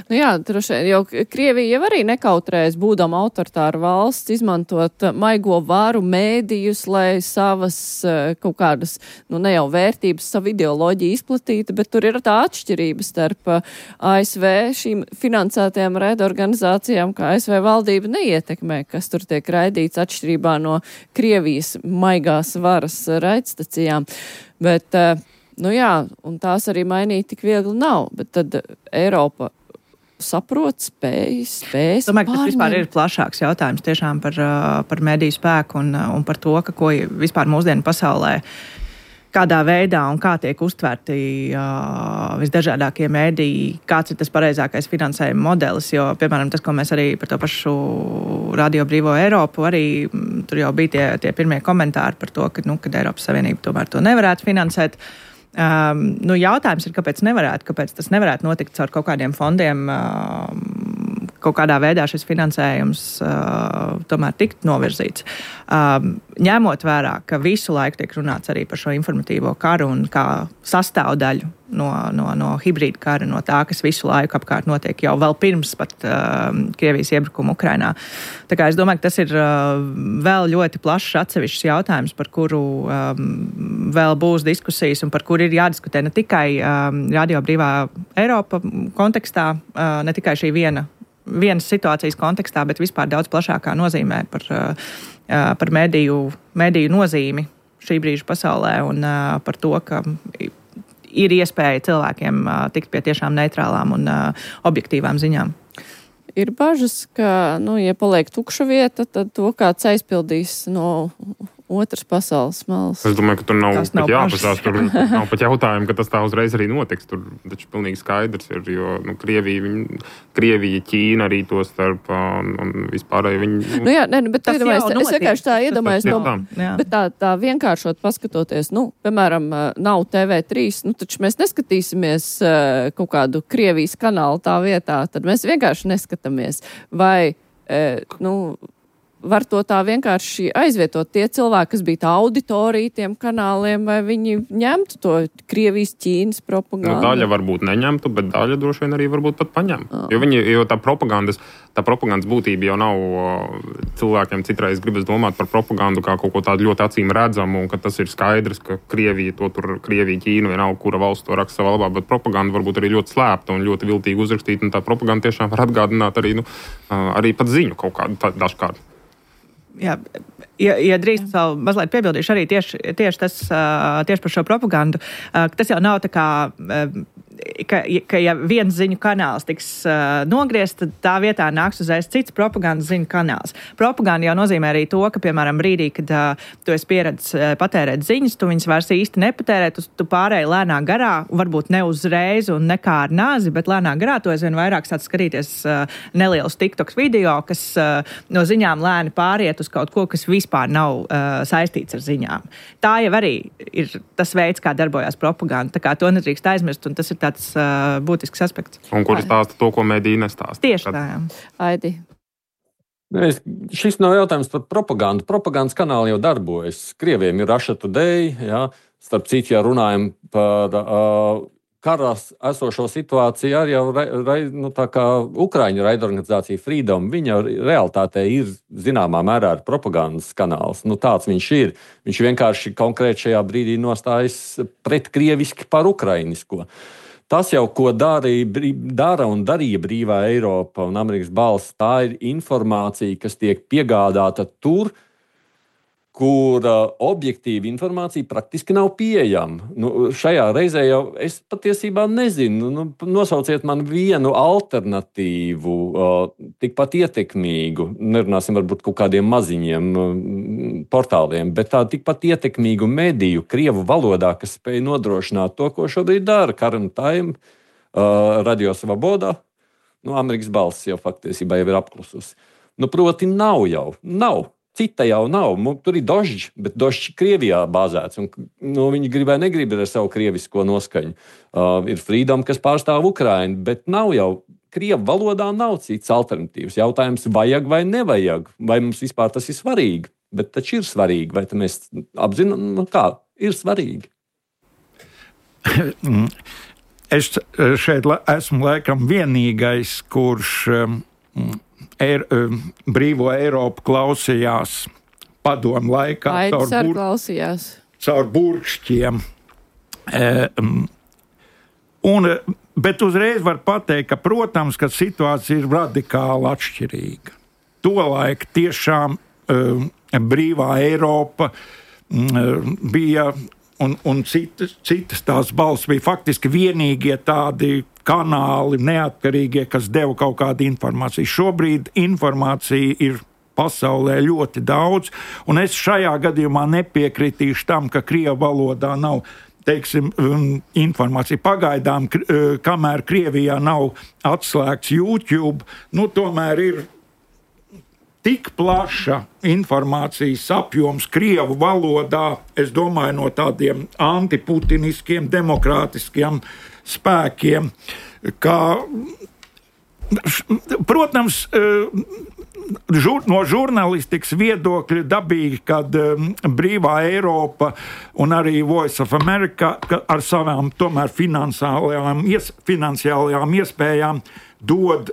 Nu jā, droši vien, jo Krievija jau arī nekautrējas, būdama autoritāra valsts, izmantot maigo varu mēdījus, lai savas kaut kādas, nu ne jau vērtības, savu ideoloģiju izplatītu, bet tur ir tā atšķirība starp A S V šīm finansētajām raidorganizācijām, ka A S V valdība neietekmē, kas tur tiek raidīts atšķirībā no Krievijas maigās varas raidstacijām. Bet, nu jā, un tās arī mainīt tik viegli nav, bet tad Eiropa saprot, spējas, spējas. Domāju, ka tas vispār ir plašāks jautājums tiešām par, par mediju spēku un, un par to, ka ko vispār mūsdienu pasaulē, kādā veidā un kā tiek uztverti uh, visdažādākie mediji, kāds ir tas pareizākais finansējuma modelis, jo, piemēram, tas, ko mēs arī par to pašu Radio Brīvo Eiropu, arī tur jau bija tie, tie pirmie komentāri par to, ka, nu, kad Eiropas Savienība tomēr to nevarētu finansēt. Um, nu, jautājums ir, kāpēc nevarētu, kāpēc tas nevarētu notikt caur kaut kādiem fondiem, um, kaut kādā veidā šis finansējums uh, tomēr tikt novirzīts. Um, ņemot vērā, ka visu laiku tiek runāts arī par šo informatīvo karu un kā sastāvdaļu no, no, no hibrīda kara, no tā, kas visu laiku apkārt notiek jau vēl pirms pat uh, Krievijas iebrukuma Ukrainā. Tā kā es domāju, ka tas ir uh, vēl ļoti plašs atsevišķs jautājums, par kuru um, vēl būs diskusijas un par kuru ir jādiskutē ne tikai um, Radio Brīvā Eiropa kontekstā, uh, ne tikai šī viena, vienas situācijas kontekstā, bet vispār daudz plašākā nozīmē par, uh, par mediju, mediju nozīmi šī brīža pasaulē un uh, par to, ka ir iespēja cilvēkiem uh, tikt pie tiešām neitrālām un uh, objektīvām ziņām. Ir bažas, ka, nu, ja paliek tukša vieta, tad to kāds aizpildīs no otras pasaules malas. Es domāju, ka tur nav, nav pat jāpasās, tur nav pat jautājumu, ka tas tā uzreiz arī notiks. Tur taču pilnīgi skaidrs ir, jo nu, Krievija, viņa, Krievija, Ķīna arī to starp un, un vispārēji viņi... Nu, nu jā, ne, bet iedomājies, es vienkārši tā iedomājos, no, tā. bet tā, tā vienkāršot paskatoties, nu, piemēram, nav T V trīs, nu, taču mēs neskatīsimies uh, kaut kādu Krievijas kanālu tā vietā, tad mēs vienkārši neskatāmies. Vai, uh, nu, var to tā vienkārši aizvietot tie cilvēki, kas bija tā auditorija tiem kanāliem, vai viņi ņemtu to Krievijas, Ķīnas propagandu? Nu, daļa varbūt neņemtu, bet daļa droši vien arī varbūt pat paņem. Oh. Jo, viņi, jo tā propagandas, tā propagandas būtība jau nav cilvēkiem citreiz gribas domāt par propagandu kā kaut ko tādu ļoti acīm redzamu, un ka tas ir skaidrs, ka Krievija to tur, Krievija, Ķīna, vienalga, kura valsts to raksta savā labā, bet propaganda varbūt arī ļoti slēpta un ļoti viltīgi uzrakstīta, un tā propaganda tiešām var atgādināt arī, nu, arī pat ziņu kaut kādu tā, dažkārt. Jā, ja, ja drīz vēl mazliet piebildīšu arī tieši, tieši, tas, tieši par šo propagandu, tas jau nav tā kā, ka, ka ja viens ziņu kanāls tiks nogriezt, tad tā vietā nāks uzreiz cits propagandas ziņu kanāls. Propaganda jau nozīmē arī to, ka, piemēram, brīdī, kad tu esi pieredzis patērēt ziņas, tu viņas vairs īsti nepatērē, tu, tu pārēji lēnā garā, varbūt ne uzreiz un ne kā ar nāzi, bet lēnā garā tu aizvien vairāk sāc skatīties nelielus TikToks video, kas no ziņām lēni pāriet uz kaut ko, kas vispār nav uh, saistīts ar ziņām. Tā jau arī ir tas veids, kā darbojās propaganda. Tā kā to nedrīkst aizmirst, un tas ir tāds uh, būtisks aspekts. Un kur stāsta to, ko mediji nestāsta. Tieši tā, jā. Aidi. Es, šis nav jautājums par propagandu. Propagandas kanāli jau darbojas. Krieviem ir Russia Today, jā. Starp citu, ja runājam par uh, karās esošo situāciju, arī jau ra, nu, tā kā Ukraiņu raidorganizācija Freedom, viņa realitātē ir zināmā mērā propagandas kanāls. Nu, tāds viņš ir. Viņš vienkārši konkrēti šajā brīdī nostājas pret krieviski par ukrainisko. Tas jau, ko darīja, dara un darīja brīvā Eiropa un Amerikas balss, tā ir informācija, kas tiek piegādāta tur, kur uh, objektīva informācija praktiski nav pieejama. Nu, šajā reizē jau es patiesībā nezinu. Nu, nosauciet man vienu alternatīvu, uh, tikpat ietekmīgu, nerunāsim varbūt kaut kādiem maziņiem uh, portāliem, bet tā tikpat ietekmīgu mediju Krievu valodā, kas spēj nodrošināt to, ko šobrīd dara Current Time, uh, Radio Svaboda. Nu, Amerikas balss jau faktiesībā jau ir apklusus. Nu, proti nav jau, nav. Cita jau nav. Tur ir Dožģi, bet Dožģi Krievijā bāzēts. Un, nu, viņi gribēja negrib ar savu krievisko noskaņu. Uh, ir Freedom, kas pārstāv Ukrainu, bet nav jau, Krievu valodā nav cits alternatīvs. Jautājums, vajag vai nevajag, vai mums vispār tas ir svarīgi. Bet taču ir svarīgi, vai mēs apzinām, nu, kā ir svarīgi. Es šeit esmu laikam vienīgais, kurš um, Er, brīvo Eiropu klausījās padomu laikā Aidis caur, bur... caur burkšķiem. E, un, bet uzreiz var pateikt, ka, protams, ka situācija ir radikāli atšķirīga. Tolaik tiešām e, brīvā Eiropa e, bija, un, un citas, citas tās balss bija faktiski vienīgie tādi kanāli, neatkarīgie, kas deva kaut kādu informāciju. Šobrīd informācija ir pasaulē ļoti daudz, un es šajā gadījumā nepiekritīšu tam, ka Krievu valodā nav, teiksim, informācija. Pagaidām, kamēr Krievijā nav atslēgts YouTube, nu tomēr ir tik plaša informācijas apjoms Krievu valodā, es domāju, no tādiem antiputiniskiem, demokrātiskiem spēkiem, kā, protams, žur, no žurnālistikas viedokļa dabīgi, kad brīvā Eiropa un arī Voice of America ar savām tomēr finansiālajām, ies, finansiālajām iespējām dod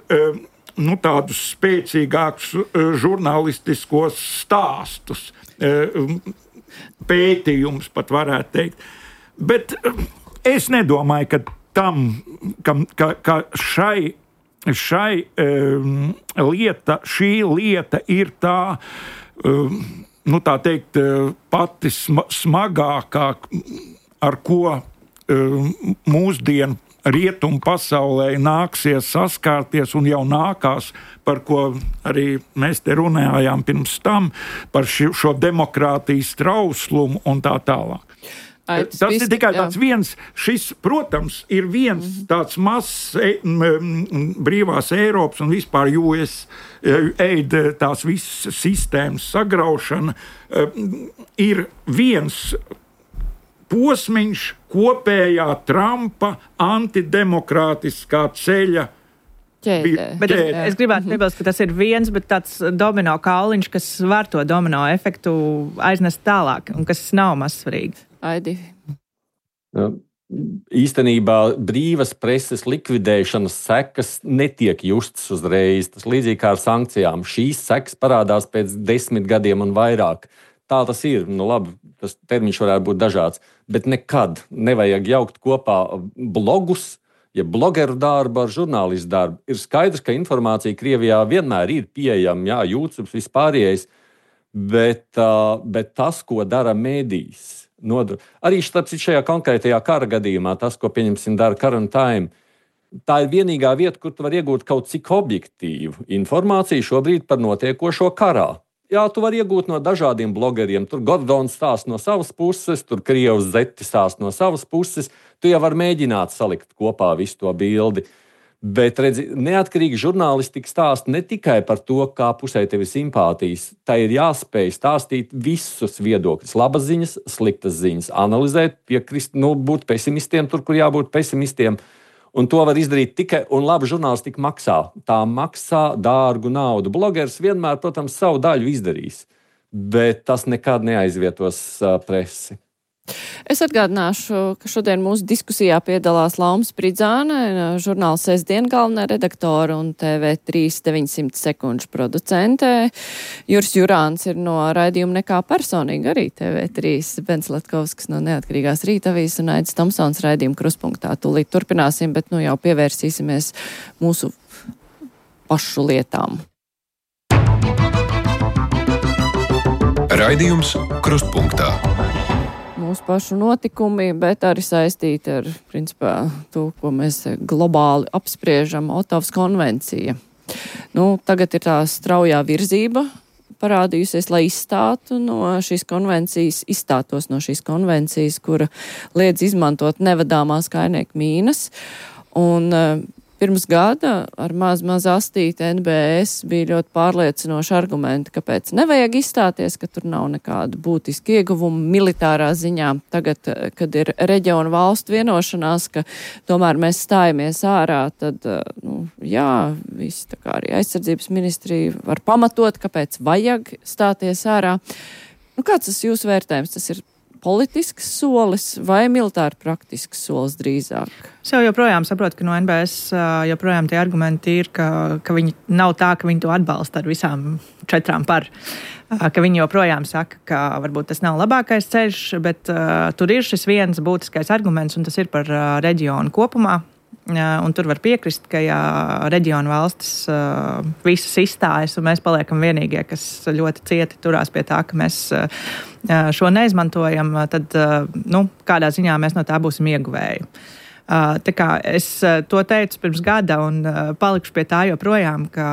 nu, tādus spēcīgākus žurnālistiskos stāstus, pētījums pat varētu teikt. Bet es nedomāju, ka tam, ka, ka, ka šai, šai um, lieta, šī lieta ir tā, um, nu tā teikt, pati smagākā, ar ko um, mūsdienu rietumu pasaulē nāksies saskārties un jau nākās, par ko arī mēs te runājām pirms tam, par šo, šo demokrātijas trauslumu un tā tālāk. Ai, tas, tas viss, ir tikai jā. tāds viens, šis, protams, ir viens mm-hmm. tāds mazs e, m, brīvās Eiropas un vispār U S aid tās visas sistēmas sagraušana, e, ir viens posmiņš kopējā Trumpa antidemokrātiskā ceļa ķēdē. Bet es, es gribētu piebilst, ka tas ir viens, bet tāds domino kauliņš, kas var to domino efektu aiznest tālāk un kas nav mazsvarīgi. Aidi. Ja, īstenībā brīvas preses likvidēšanas sekas netiek justas uzreiz. Tas līdzīgi kā ar sankcijām. Šīs sekas parādās pēc desmit gadiem un vairāk. Tā tas ir. Nu, labi, tas termiņš varētu būt dažāds. Bet nekad nevajag jaukt kopā blogus, ja blogeru darbu ar žurnālistu darbu. Ir skaidrs, ka informācija Krievijā vienmēr ir pieejama, jā, YouTube, vispārējais, bet, uh, bet tas, ko dara mēdījis, nodru... arī starp citu šajā konkrētajā kara gadījumā, tas, ko pieņemsim dara Current Time, tā ir vienīgā vieta, kur tu var iegūt kaut cik objektīvu informāciju šobrīd par notiekošo karā. Jā, tu vari iegūt no dažādiem blogeriem. Tur Gordons stāsta no savas puses, tur Krievs Zeti stāsta no savas puses. Tu jau vari mēģināt salikt kopā visu to bildi. Bet, redzi, neatkarīgi žurnālistika stāsta ne tikai par to, kā pusē tev ir simpātijas. Tā ir jāspēj stāstīt visus viedokļus. Labas ziņas, sliktas ziņas. Analizēt, piekrist, nu, būt pesimistiem tur, kur jābūt pesimistiem. Un to var izdarīt tikai, un labi žurnālistika maksā. Tā maksā dārgu naudu. Blogeris vienmēr, protams, savu daļu izdarīs, bet tas nekad neaizvietos uh, presi. Es atgādināšu, ka šodien mūsu diskusijā piedalās Lauma Spridzāne, žurnāla Sestdien galvenā redaktore un T V trīs deviņsimt sekundžu producente. Juris Jurāns ir no raidījuma Nekā personīgi arī T V trīs, Bens Latkovskis no Neatkarīgās Rītavijas un Aidis Tomsons raidījuma Kruspunktā. Tūlīt turpināsim, bet nu jau pievērsīsimies mūsu pašu lietām. Raidījums Krustpunktā. Mūsu pašu notikumi, bet arī saistīti ar, principā, to, ko mēs globāli apspriežam, Otavas konvencija. Nu, tagad ir tā straujā virzība parādījusies, lai izstātu no šīs konvencijas, izstātos no šīs konvencijas, kura liedz izmantot nevadāmās kainieku mīnas. Un pirms gada ar maz, maz astīti N B S bija ļoti pārliecinoši argumenti, kāpēc nevajag izstāties, ka tur nav nekāda būtiska ieguvuma militārā ziņā. Tagad, kad ir reģionu valstu vienošanās, ka tomēr mēs stājamies ārā, tad, nu, jā, visi tā kā arī aizsardzības ministrija var pamatot, kāpēc vajag stāties ārā. Nu, kāds tas jūsu vērtējums? Tas ir politisks solis vai militāri praktisks solis drīzāk? Es jau joprojām saprotu, ka no N B S joprojām tie argumenti ir, ka, ka viņi nav tā, ka viņi to atbalsta ar visām četrām par. Ka viņi joprojām saka, ka varbūt tas nav labākais ceļš, bet uh, tur ir šis viens būtiskais arguments, un tas ir par uh, reģionu kopumā. Un tur var piekrist, ka ja reģionu valstis uh, visas izstājas un mēs paliekam vienīgie, kas ļoti cieti turās pie tā, ka mēs uh, šo neizmantojam, tad uh, nu, kādā ziņā mēs no tā būsim ieguvēji. Uh, tā kā es uh, to teicu pirms gada un uh, palikšu pie tā joprojām, ka,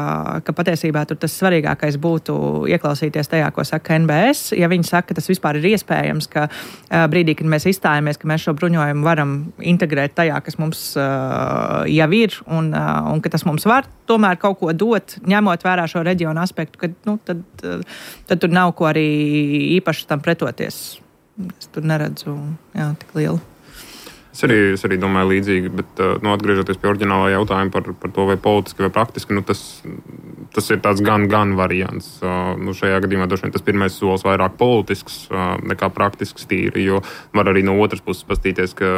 ka patiesībā tur tas svarīgākais būtu ieklausīties tajā, ko saka N B S. Ja viņi saka, ka tas vispār ir iespējams, ka uh, brīdī, kad mēs izstājamies, ka mēs šo bruņojumu varam integrēt tajā, kas mums uh, jau ir un, uh, un ka tas mums var tomēr kaut ko dot, ņemot vērā šo reģionu aspektu, kad, nu, tad, uh, tad tur nav ko arī īpaši tam pretoties. Es tur neredzu jā, tik lielu. Es arī, es arī domāju līdzīgi, bet nu, atgriežoties pie oriģinālā jautājuma par, par to, vai politiski vai praktiski, nu, tas, tas ir tāds gan, gan variants. Nu, šajā gadījumā droši vien tas pirmais solis vairāk politisks nekā praktisks tīri, jo var arī no otras puses pastīties, ka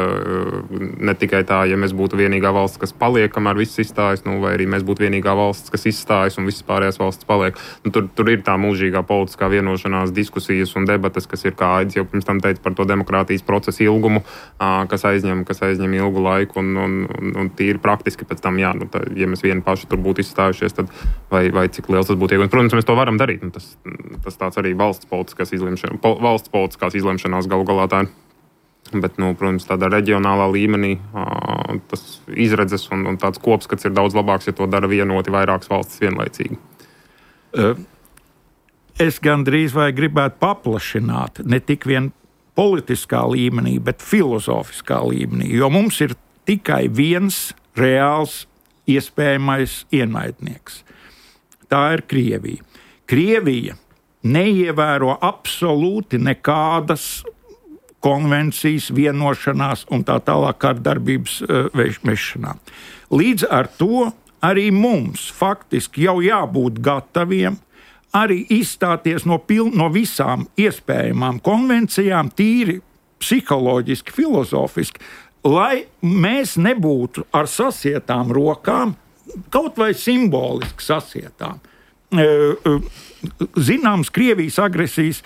ne tikai tā, ja mēs būtu vienīgā valsts, kas paliek, kamēr viss izstājas, nu, vai arī mēs būtu vienīgā valsts, kas izstājas un visas pārējās valsts paliek. Nu, tur, tur ir tā mūžīgā politiskā vienošanās, diskusijas un debatas, kas ir, kā Aidis jau pirms tam teica, par to demokrātijas procesu ilgumu, kas aiz kas aizņem ilgu laiku un, un, un, un tīri praktiski pēc tam, jā, nu, tā, ja mēs vieni paši tur būtu izstājušies, tad vai, vai cik liels tas būtu iegūms. Protams, mēs to varam darīt. Nu, tas, tas tāds arī valsts politiskās izlemšanās, pol, valsts politiskās izlemšanās galu galā tā ir. Bet, nu, protams, tādā reģionālā līmenī ā, tas izredzes un, un tāds kopskats ir daudz labāks, ja to dara vienoti vairākas valstis vienlaicīgi. Es gandrīz vai gribētu paplašināt ne tik vien politiskā līmenī, bet filozofiskā līmenī, jo mums ir tikai viens reāls iespējamais ienaidnieks. Tā ir Krievija. Krievija neievēro absolūti nekādas konvencijas, vienošanās un tā tālāk kārdarbības uh, vešanā. Līdz ar to arī mums faktiski jau jābūt gataviem arī izstāties no, pil, no visām iespējamām konvencijām, tīri psiholoģiski, filozofiski, lai mēs nebūtu ar sasietām rokām, kaut vai simboliski sasietām. Zināms, Krievijas agresijas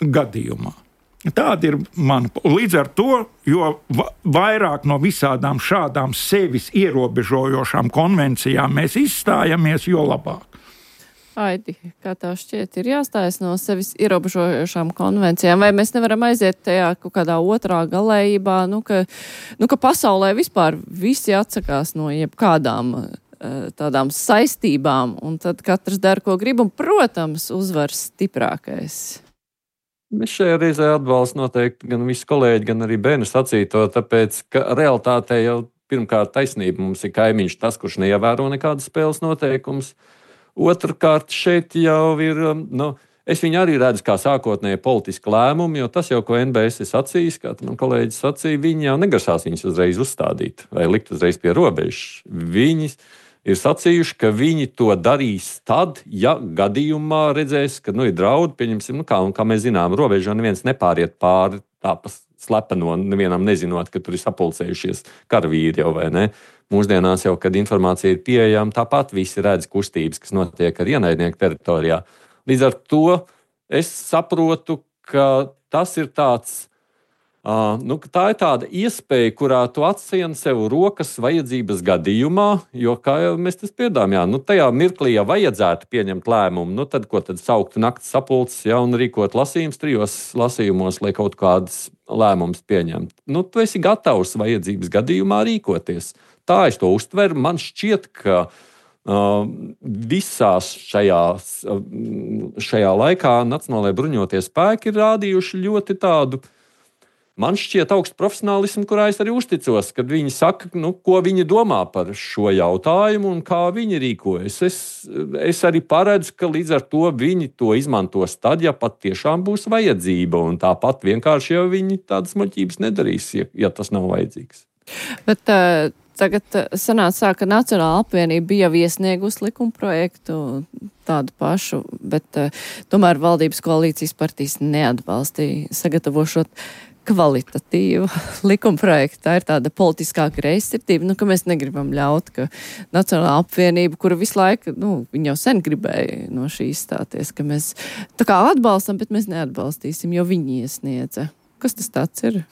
gadījumā. Tāda ir mana. Līdz ar to, jo vairāk no visādām šādām sevis ierobežojošām konvencijām mēs izstājamies, jo labāk. Aidi, kā tā šķiet, ir jāstājas no sevis ierobežojošām konvencijām, vai mēs nevaram aiziet tajā kaut kādā otrā galējībā, nu, ka, nu, ka pasaulē vispār visi atsakās no jebkādām tādām saistībām, un tad katrs dara, ko grib, un, protams, uzvar stiprākais. Mēs šajā reizē atbalstu noteikti gan visi kolēģi, gan arī bērnu sacīto, tāpēc, ka realitātē jau pirmkārt taisnība mums ir kaimiņš tas, kurš neievēro nekādas spēles noteikumus. Otrkārt, šeit jau ir, nu, es viņu arī redzu kā sākotnēji politiski lēmumi, jo tas jau, ko N B S ir sacījis, kā man kolēģis sacīja, viņi jau negrasās viņus uzreiz uzstādīt vai likt uzreiz pie robežas. Viņi ir sacījuši, ka viņi to darīs tad, ja gadījumā redzēs, ka, nu, ir draudi, pieņemsim, nu, kā, un kā mēs zinām, robežā neviens nepāriet pāri tā pa slepeno, nevienam nezinot, ka tur ir sapulcējušies karavīri jau vai ne. Mūsdienās jau, kad informācija ir pieejama, tāpat visi redz kustības, kas notiek ar ienaidnieku teritorijā. Līdz ar to es saprotu, ka tas ir tāds, uh, nu, tā ir tāda iespēja, kurā tu atsien sev rokas vajadzības gadījumā, jo, kā jau mēs tas piedām, jā, nu, tajā mirklī, ja vajadzētu pieņemt lēmumu, nu, tad, ko tad sauktu nakts sapulces, ja, un rīkot lasījums trijos lasījumos, lai kaut kādas lēmumus pieņemt. Nu, tu esi gatavs vajadzības gadījumā rīkoties. Tā es to uztveru. Man šķiet, ka uh, visās šajās, uh, šajā laikā Nacionālajie bruņotie spēki ir rādījuši ļoti tādu, man šķiet, augstu profesionālismu, kurā es arī uzticos, kad viņi saka, nu, ko viņi domā par šo jautājumu un kā viņi rīkojas. Es, es arī paredzu, ka līdz ar to viņi to izmantos tad, ja pat tiešām būs vajadzība, un tāpat vienkārši jau viņi tādas muļķības nedarīs, ja, ja tas nav vajadzīgs. Bet uh... Tagad sanāca, ka Nacionāla apvienība bija jau iesniegusi likumprojektu tādu pašu, bet uh, tomēr valdības koalīcijas partijas neatbalstīja sagatavošot kvalitatīvu likumprojektu. Tā ir tāda politiskā greizsirdība, nu, ka mēs negribam ļaut, ka Nacionāla apvienība, kura visu laiku, nu, viņa jau sen gribēja no šī izstāties, ka mēs tā kā atbalstam, bet mēs neatbalstīsim, jo viņi iesniedza. Kas tas tāds ir?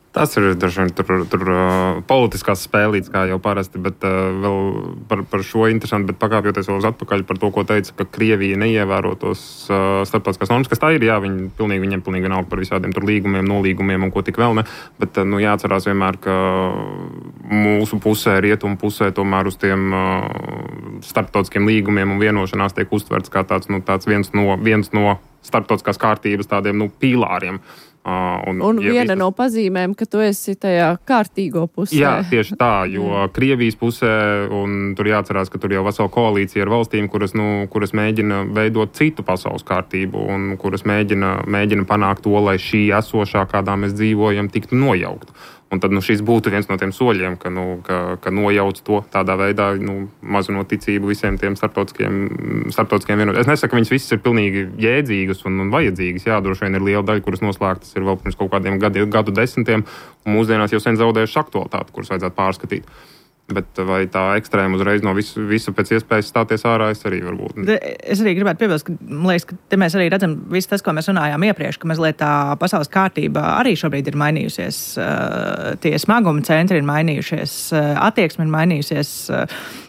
Tas ir dažiem tur, tur uh, politiskās spēlītes, kā jau parasti, bet uh, vēl par, par šo interesanti, bet pakāpjoties vēl uz atpakaļ par to, ko teica, ka Krievija neievēro tos uh, starptautiskās normas, kas tā ir, jā, viņi pilnīgi, viņiem pilnīgi vienalga par visādiem tur līgumiem, nolīgumiem un ko tik vēl ne, bet, uh, nu, jāatcerās vienmēr, ka mūsu pusē, rietumu pusē, tomēr uz tiem uh, starptautiskiem līgumiem un vienošanās tiek uztverts kā tāds, nu, tāds viens no, viens no starptautiskās kārtības tādiem, nu, pīlāriem. Uh, un un ja viena visas... no pazīmēm, ka tu esi tajā kārtīgo pusē. Jā, tieši tā, jo Krievijas pusē, un tur jāatcerās, ka tur jau vesela koalīcija ar valstīm, kuras, nu, kuras mēģina veidot citu pasaules kārtību, un kuras mēģina, mēģina panākt to, lai šī esošā, kādā mēs dzīvojam, tiktu nojaukt. Un tad, nu, šis būtu viens no tiem soļiem, ka, nu, ka, ka nojauc to tādā veidā, nu, mazinot ticību visiem tiem starptautiskiem, starptautiskiem vienotiem. Es nesaku, ka viņas visas ir pilnīgi jēdzīgas un, un vajadzīgas. Jā, droši vien ir liela daļa, kuras noslēgtas ir vēl pirms kaut kādiem gadu, gadu desmitiem, un mūsdienās jau sen zaudējuši aktualitāti, kuras vajadzētu pārskatīt. Bet vai tā ekstrēma uzreiz no visu, visu pēc iespējas stāties ārā, es arī varbūt. Es arī gribētu piebilst, ka, man liekas, ka te mēs arī redzam visu tas, ko mēs runājām iepriekš, ka mazliet tā pasaules kārtība arī šobrīd ir mainījusies. Tie smaguma centri ir mainījušies, attieksme ir mainījusies,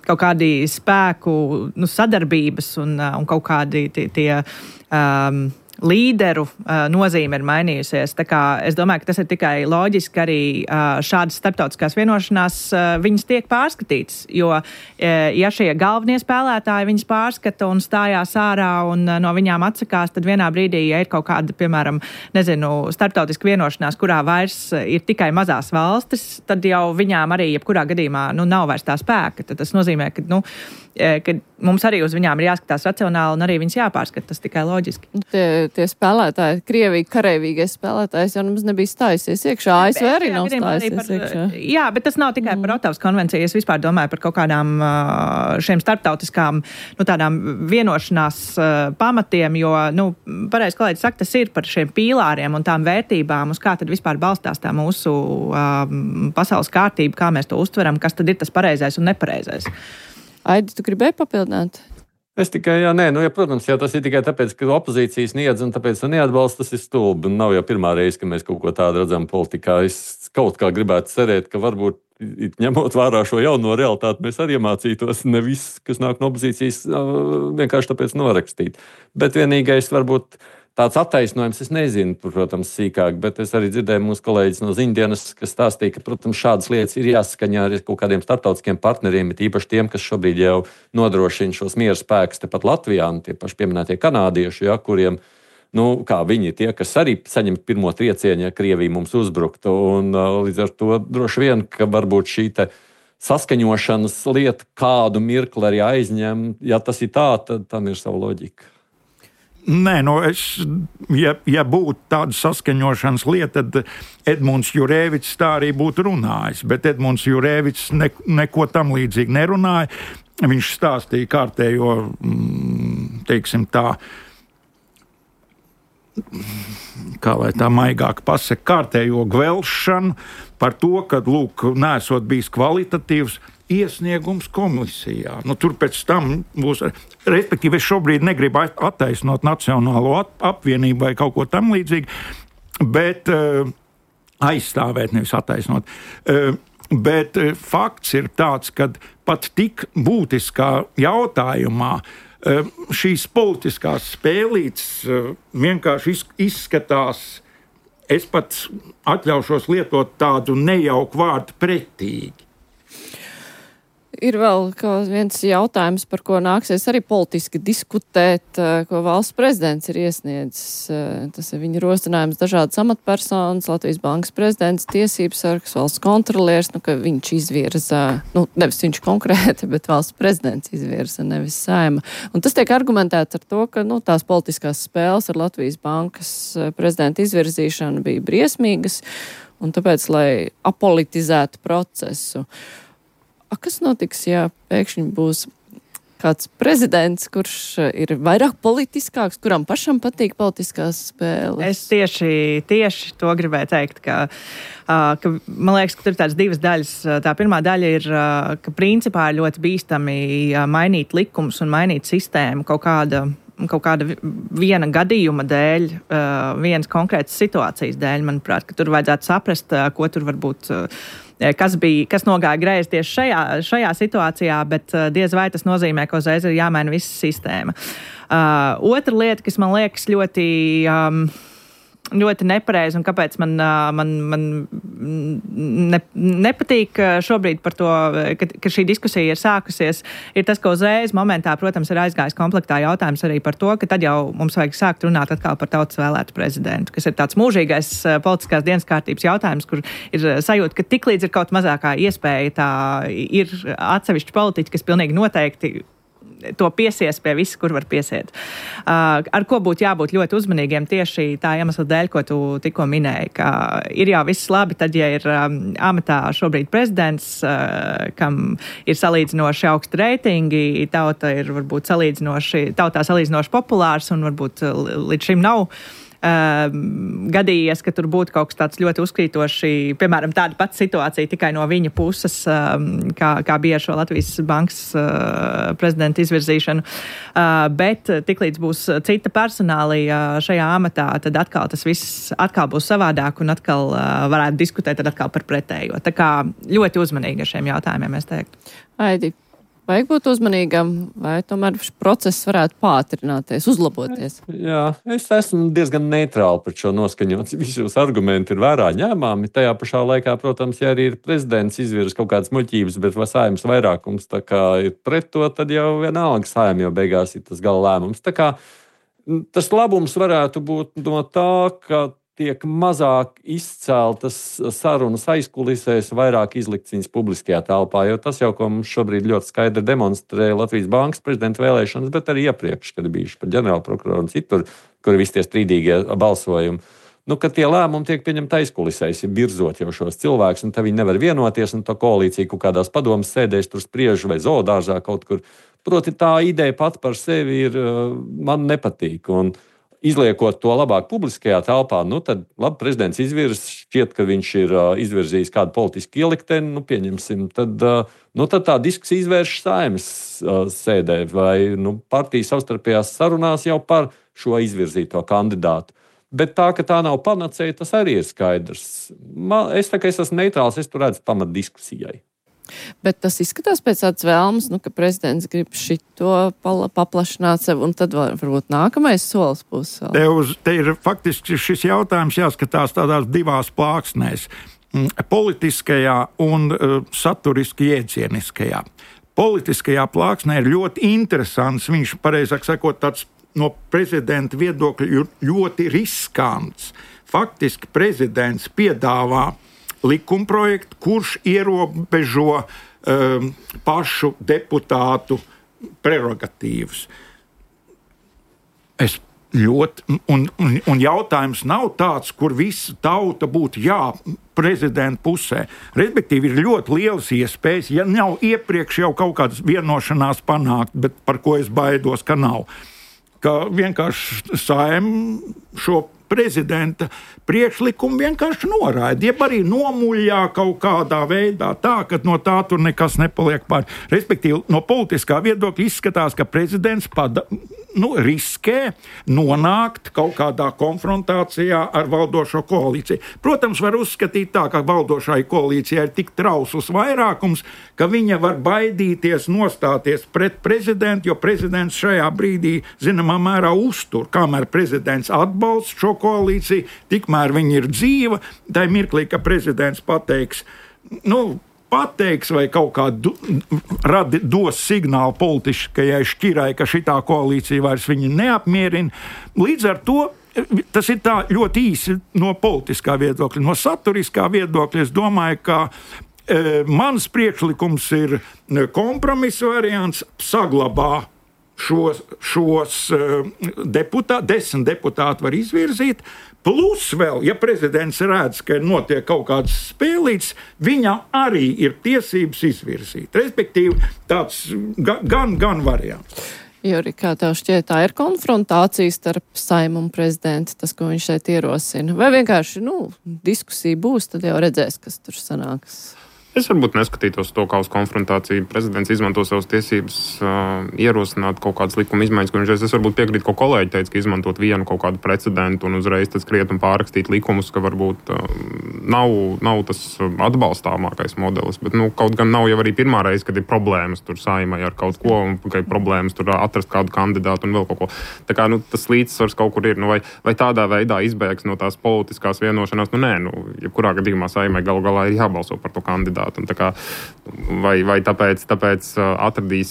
kaut kādi spēku, nu, sadarbības un, un kaut kādi tie, tie um, līderu uh, nozīme ir mainījusies. Tā kā es domāju, ka tas ir tikai loģiski arī uh, šādas starptautiskās vienošanās uh, viņas tiek pārskatītas, jo uh, ja šie galvenie spēlētāji viņas pārskata un stājās ārā un uh, no viņām atsakās, tad vienā brīdī, ja ir kaut kāda, piemēram, nezinu, starptautiska vienošanās, kurā vairs ir tikai mazās valstis, tad jau viņām arī jebkurā gadījumā, nu, nav vairs tā spēka. Tad tas nozīmē, ka, nu, ka mums arī uz viņām ir jāskatās racionāli un arī viņas jāpārskata, tas tikai loģiski. Tie, tie spēlētāji, Krievija kareivīgais spēlētājs jau mums nebija stājusies iekšā, A S V arī nav stājusies par, iekšā. Jā, bet tas nav tikai mm. par Ottavas konvenciju, es vispār domāju par kaut kādām šiem starptautiskām, nu, tādām vienošanās pamatiem, jo, nu, pareizi kolēģi saka, tas ir par šiem pīlāriem un tām vērtībām, uz kā tad vispār balstās tā mūsu um, pasaules kārtība, kā mēs to uztveram, kas tad ir tas pareizais un nepareizais. Aidi, tu gribēji papildināt? Es tikai, jā, nē, nu, ja, protams, jā, tas ir tikai tāpēc, ka opozīcija sniedz un tāpēc neatbalsta, tas ir stulbi. Nav jau pirmā reize, ka mēs kaut ko tādu redzam politikā. Es kaut kā gribētu cerēt, ka varbūt, ņemot vērā šo jauno realitāti, mēs arī iemācītos ne viss, kas nāk no opozīcijas, vienkārši tāpēc norakstīt. Bet vienīgais varbūt tāds attaisnojums, es nezinu, protams, sīkāk, bet es arī dzirdēju mūsu kolēģis no ziņdienas, kas stāstīja, ka, protams, šādas lietas ir jāsaskaņā ar kaut kādiem starptautiskiem partneriem, bet īpaši tiem, kas šobrīd jau nodrošina šos miera spēkus tepat Latvijā, un tie paši pieminētie kanādieši, ja, kuriem, nu, kā viņi tie, kas arī saņem pirmo triecienu, ja Krievija mums uzbruktu, un līdz ar to droši vien, ka varbūt šī te saskaņošanas lieta kādu mirkli arī aizņem, ja tas ir tā, tad tam ir sava loģika. Nē, nu es, ja, ja būtu tāda saskaņošanas lieta, tad Edmunds Jurēvics tā arī būtu runājis, bet Edmunds Jurēvics ne, neko tam līdzīgi nerunāja. Viņš stāstīja kārtējo, teiksim tā, kā lai tā maigāk pasaka, kārtējo gvelšanu par to, ka, lūk, nesot bijis kvalitatīvs iesniegums komisijā. Nu, tur pēc tam būs, respektīvi, es šobrīd negribu attaisnot Nacionālo apvienību vai kaut ko tam līdzīgi, bet uh, aizstāvēt, nevis attaisnot. Uh, bet uh, fakts ir tāds, ka pat tik būtiskā jautājumā uh, šīs politiskās spēlītes uh, vienkārši izskatās, es pat atļaušos lietot tādu nejauku vārdu pretīgi. Ir vēl viens jautājums, par ko nāksies arī politiski diskutēt, ko valsts prezidents ir iesniedzis. Tas ir viņa rosinājums dažādas amatpersonas, Latvijas bankas prezidents, tiesības sargs, valsts kontroliers, nu, ka viņš izvirza, nu, nevis viņš konkrēti, bet valsts prezidents izvirza, nevis Saeima. Un tas tiek argumentēts ar to, ka, nu, tās politiskās spēles ar Latvijas bankas prezidenta izvirzīšanu bija briesmīgas, un tāpēc, lai apolitizētu procesu. A, kas notiks, ja pēkšņi būs kāds prezidents, kurš ir vairāk politiskāks, kuram pašam patīk politiskās spēles? Es tieši, tieši to gribēju teikt, ka, ka man liekas, ka tur ir tādas divas daļas. Tā pirmā daļa ir, ka principā ir ļoti bīstami mainīt likumus un mainīt sistēmu kaut kāda kaut kāda viena gadījuma dēļ, vienas konkrētas situācijas dēļ, manuprāt, ka tur vajadzētu saprast, ko tur varbūt, kas bija, kas nogāja greizi tieši šajā, šajā situācijā, bet diez vai tas nozīmē, ka uzreiz ir jāmaina visa sistēma. Uh, otra lieta, kas man liekas ļoti, um, ļoti nepareizi un kāpēc man, man, man ne, nepatīk šobrīd par to, ka, ka šī diskusija ir sākusies, ir tas, ka uzreiz momentā, protams, ir aizgājis komplektā jautājums arī par to, ka tad jau mums vajag sākt runāt atkal par tautas vēlētu prezidentu, kas ir tāds mūžīgais politiskās dienas kārtības jautājums, kur ir sajūta, ka tiklīdz ir kaut mazākā iespēja, tā ir atsevišķi politiķi, kas pilnīgi noteikti to piesies pie visa, kur var piesiet. Uh, ar ko būtu jābūt ļoti uzmanīgiem tieši tā iemesla dēļ, ko tu tikko minēji, ka ir jau viss labi, tad, ja ir um, amatā šobrīd prezidents, uh, kam ir salīdzinoši augsti reitingi, tauta ir varbūt salīdzinoši, tautā salīdzinoši populārs un varbūt līdz šim nav Uh, gadījies, ka tur būtu kaut kas tāds ļoti uzkrītoši, piemēram, tāda pati situācija tikai no viņa puses, um, kā, kā bija ar šo Latvijas bankas uh, prezidenta izvirzīšanu. Uh, bet tiklīdz būs cita personālija šajā amatā, tad atkal tas viss atkal būs savādāk un atkal uh, varētu diskutēt tad atkal par pretējo. Tā kā ļoti uzmanīgi ar šiem jautājumiem, es teiktu. Aidi, vajag būt uzmanīgam, vai tomēr process varētu pātrināties, uzlaboties? Jā, es esmu diezgan neitrāli par šo noskaņots. Visi jūs argumenti ir vērā ņēmāmi. Tajā pašā laikā, protams, ja arī ir prezidents izvirs kaut kādas muļķības, bet Saeimas vairākums tā kā ir pret to, tad jau vienalga Saeima jau beigās ir tas gala lēmums. Tā kā tas labums varētu būt no tā, ka tiek mazāk izceltas sarunas aizkulisēs, vairāk izlikts viņas publiskajā telpā, jo tas jau, ko mums šobrīd ļoti skaidri demonstrē Latvijas Bankas prezidenta vēlēšanas, bet arī iepriekš, kad bijuši par ģenerālprokuroru un citur, kur ir visi tie strīdīgie balsojumi. Nu, ka tie lēmumi tiek pieņemti aizkulisēs, virzot jau šos cilvēkus, un tad viņi nevar vienoties, un tā koalīcija kaut kādās padomas sēdēs tur spriež vai zoodārzā kaut kur. Proti tā ideja pat par sevi ir, man nepatīk, un izliekot to labāk publiskajā telpā, nu tad labi, prezidents izvirs, šķiet, ka viņš ir izvirzījis kādu politisku ielikteni, nu pieņemsim, tad, nu, tad tā diskusija izvērš Saeimas sēdē, vai nu, partijas savstarpējās sarunās jau par šo izvirzīto kandidātu. Bet tā, ka tā nav panacēja, tas arī ir skaidrs. Man, es tā kā es esmu neitrāls, es tur redzu pamat diskusijai. Bet tas izskatās pēc tādas vēlmes, nu, ka prezidents grib šito paplašināt sev, un tad varbūt nākamais solis būs. Te, uz, te ir faktiski šis jautājums jāskatās tādās divās plāksnēs - politiskajā un uh, saturiski jēdzieniskajā. Politiskajā plāksnē ir ļoti interesants, viņš pareizāk sakot tāds no prezidenta viedokļa ļoti riskants. Faktiski prezidents piedāvā likumprojektu, kurš ierobežo um, pašu deputātu prerogatīvas. Es ļoti, un, un, un jautājums nav tāds, kur visa tauta būtu jā, prezidenta pusē. Respektīvi, ir ļoti lielas iespējas, ja nav iepriekš jau kaut kādas vienošanās panākt, bet par ko es baidos, ka nav. Ka vienkārši Saeima šo prezidenta priekšlikumu vienkārši noraida, jeb arī nomuļā kaut kādā veidā tā, ka no tā tur nekas nepaliek pār. Respektīvi, no politiskā viedokļa izskatās, ka prezidents pada, nu, riskē nonākt kaut kādā konfrontācijā ar valdošo koalīciju. Protams, var uzskatīt tā, ka valdošai koalīcijai ir tik trausls vairākums, ka viņa var baidīties nostāties pret prezidentu, jo prezidents šajā brīdī, zināmā mērā, uztur. Kamēr prezidents atbalsta šo koalīciju, tikmēr viņa ir dzīva, tai mirklī, ka prezidents pateiks, nu, pateiks vai kaut kā du, radi, dos signālu politiskajai šķirai, ka šitā koalīcija vairs viņu neapmierina. Līdz ar to tas ir tā ļoti īsi no politiskā viedokļa. No saturiskā viedokļa es domāju, ka e, mans priekšlikums ir kompromisa variants, saglabā šos, šos deputāti, desmit deputāti var izvirzīt, plus vēl, ja prezidents redz, ka notiek kaut kāds spēlīts, viņam arī ir tiesības izvirzīt. Respektīvi, tāds gan, gan variants. Juri, kā tev šķiet, tā ir konfrontācija starp Saeimu un prezidentu, tas, ko viņš šeit ierosina? Vai vienkārši, nu, diskusija būs, tad jau redzēs, kas tur sanāks? Es varbūt neskatītos to kā uz konfrontāciju. Prezidents izmanto savas tiesības uh, ierosināt kaut kādas likuma izmaiņas, ko viņš es varbūt piekrītu, ko kolēģi teica, ka izmantot vienu kaut kādu precedentu un uzreiz tad skriet un pārrakstīt likumus, ka varbūt uh, nav, nav tas atbalstāmākais modelis. Bet, nu, kaut gan nav jau arī pirmā reize, kad ir problēmas tur Saeimai ar kaut ko, un ka ir problēmas tur atrast kādu kandidātu un vēl kaut ko. Tā kā, nu, tas līdzsvars kaut kur ir. Nu, vai, vai tādā veidā izbēgs no tās politiskās vienošanās? Nu, nē, nu, jebkurā gadījumā Saeimai galu galā ir jābalso par to kandidātu. Un tā kā, vai vai tāpēc, tāpēc, atradīs,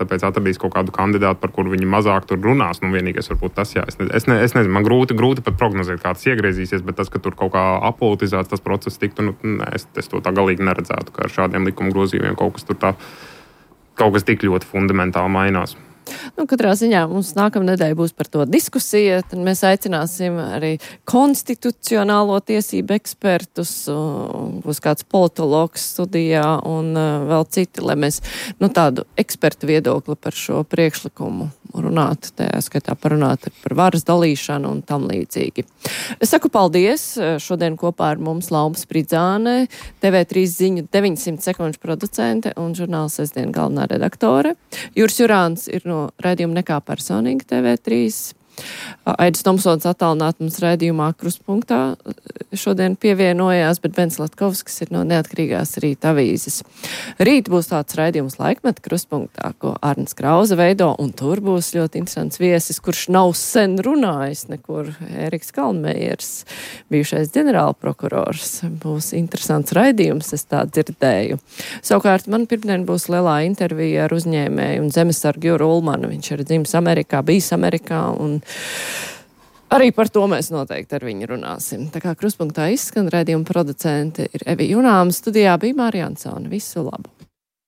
tāpēc atradīs kaut kādu kandidātu, par kuru viņi mazāk tur runās. Nu, vienīgais varbūt tas, jā. Es, ne, es, ne, es nezinu, man grūti, grūti pat prognozēt, kā tas iegriezīsies, bet tas, ka tur kaut kā apolitizēts tas process tiktu, nu, nē, es, es to tā galīgi neredzētu, ka ar šādiem likuma grozījumiem kaut kas tur tā, kaut kas tik ļoti fundamentāli mainās. Nu, katrā ziņā mums nākamnedēļ būs par to diskusija, tad mēs aicināsim arī konstitucionālo tiesību ekspertus, būs kāds politologs studijā un vēl citi, lai mēs, nu, tādu ekspertu viedokli par šo priekšlikumu runāt, tajā skaitā parunāt par varas dalīšanu un tam līdzīgi. Es saku paldies, šodien kopā ar mums Lauma Spridzāne, T V trīs ziņu deviņsimt sekundžu producente un žurnāla Sestdien galvenā redaktore. Juris Jurāns ir no raidījuma Nekā personīgi T V trīs. Aidis Tomsons attālināt mums raidījumā Krustpunktā šodien pievienojās, bet Bens Latkovskis ir no Neatkarīgās Rīta avīzes. Rīt būs tāds raidījums Laikmeta Krustpunktā, ko Arnis Krauze veido, un tur būs ļoti interesants viesis, kurš nav sen runājis nekur. Ēriks Kalnmejers, bijušais ģenerālprokurors. Būs interesants raidījums, es tā dzirdēju. Savukārt man pirmdien būs lielā intervija ar uzņēmēju un zemesargu Juru Ulmanu. Viņš ir dzimis Amerikā, bijis Amerikā un Arī par to mēs noteikti ar viņu runāsim. Tā kā Krustpunktā izskan, raidījuma producente ir Evi Junāma, studijā bija Mārija Ansone. Visu labu!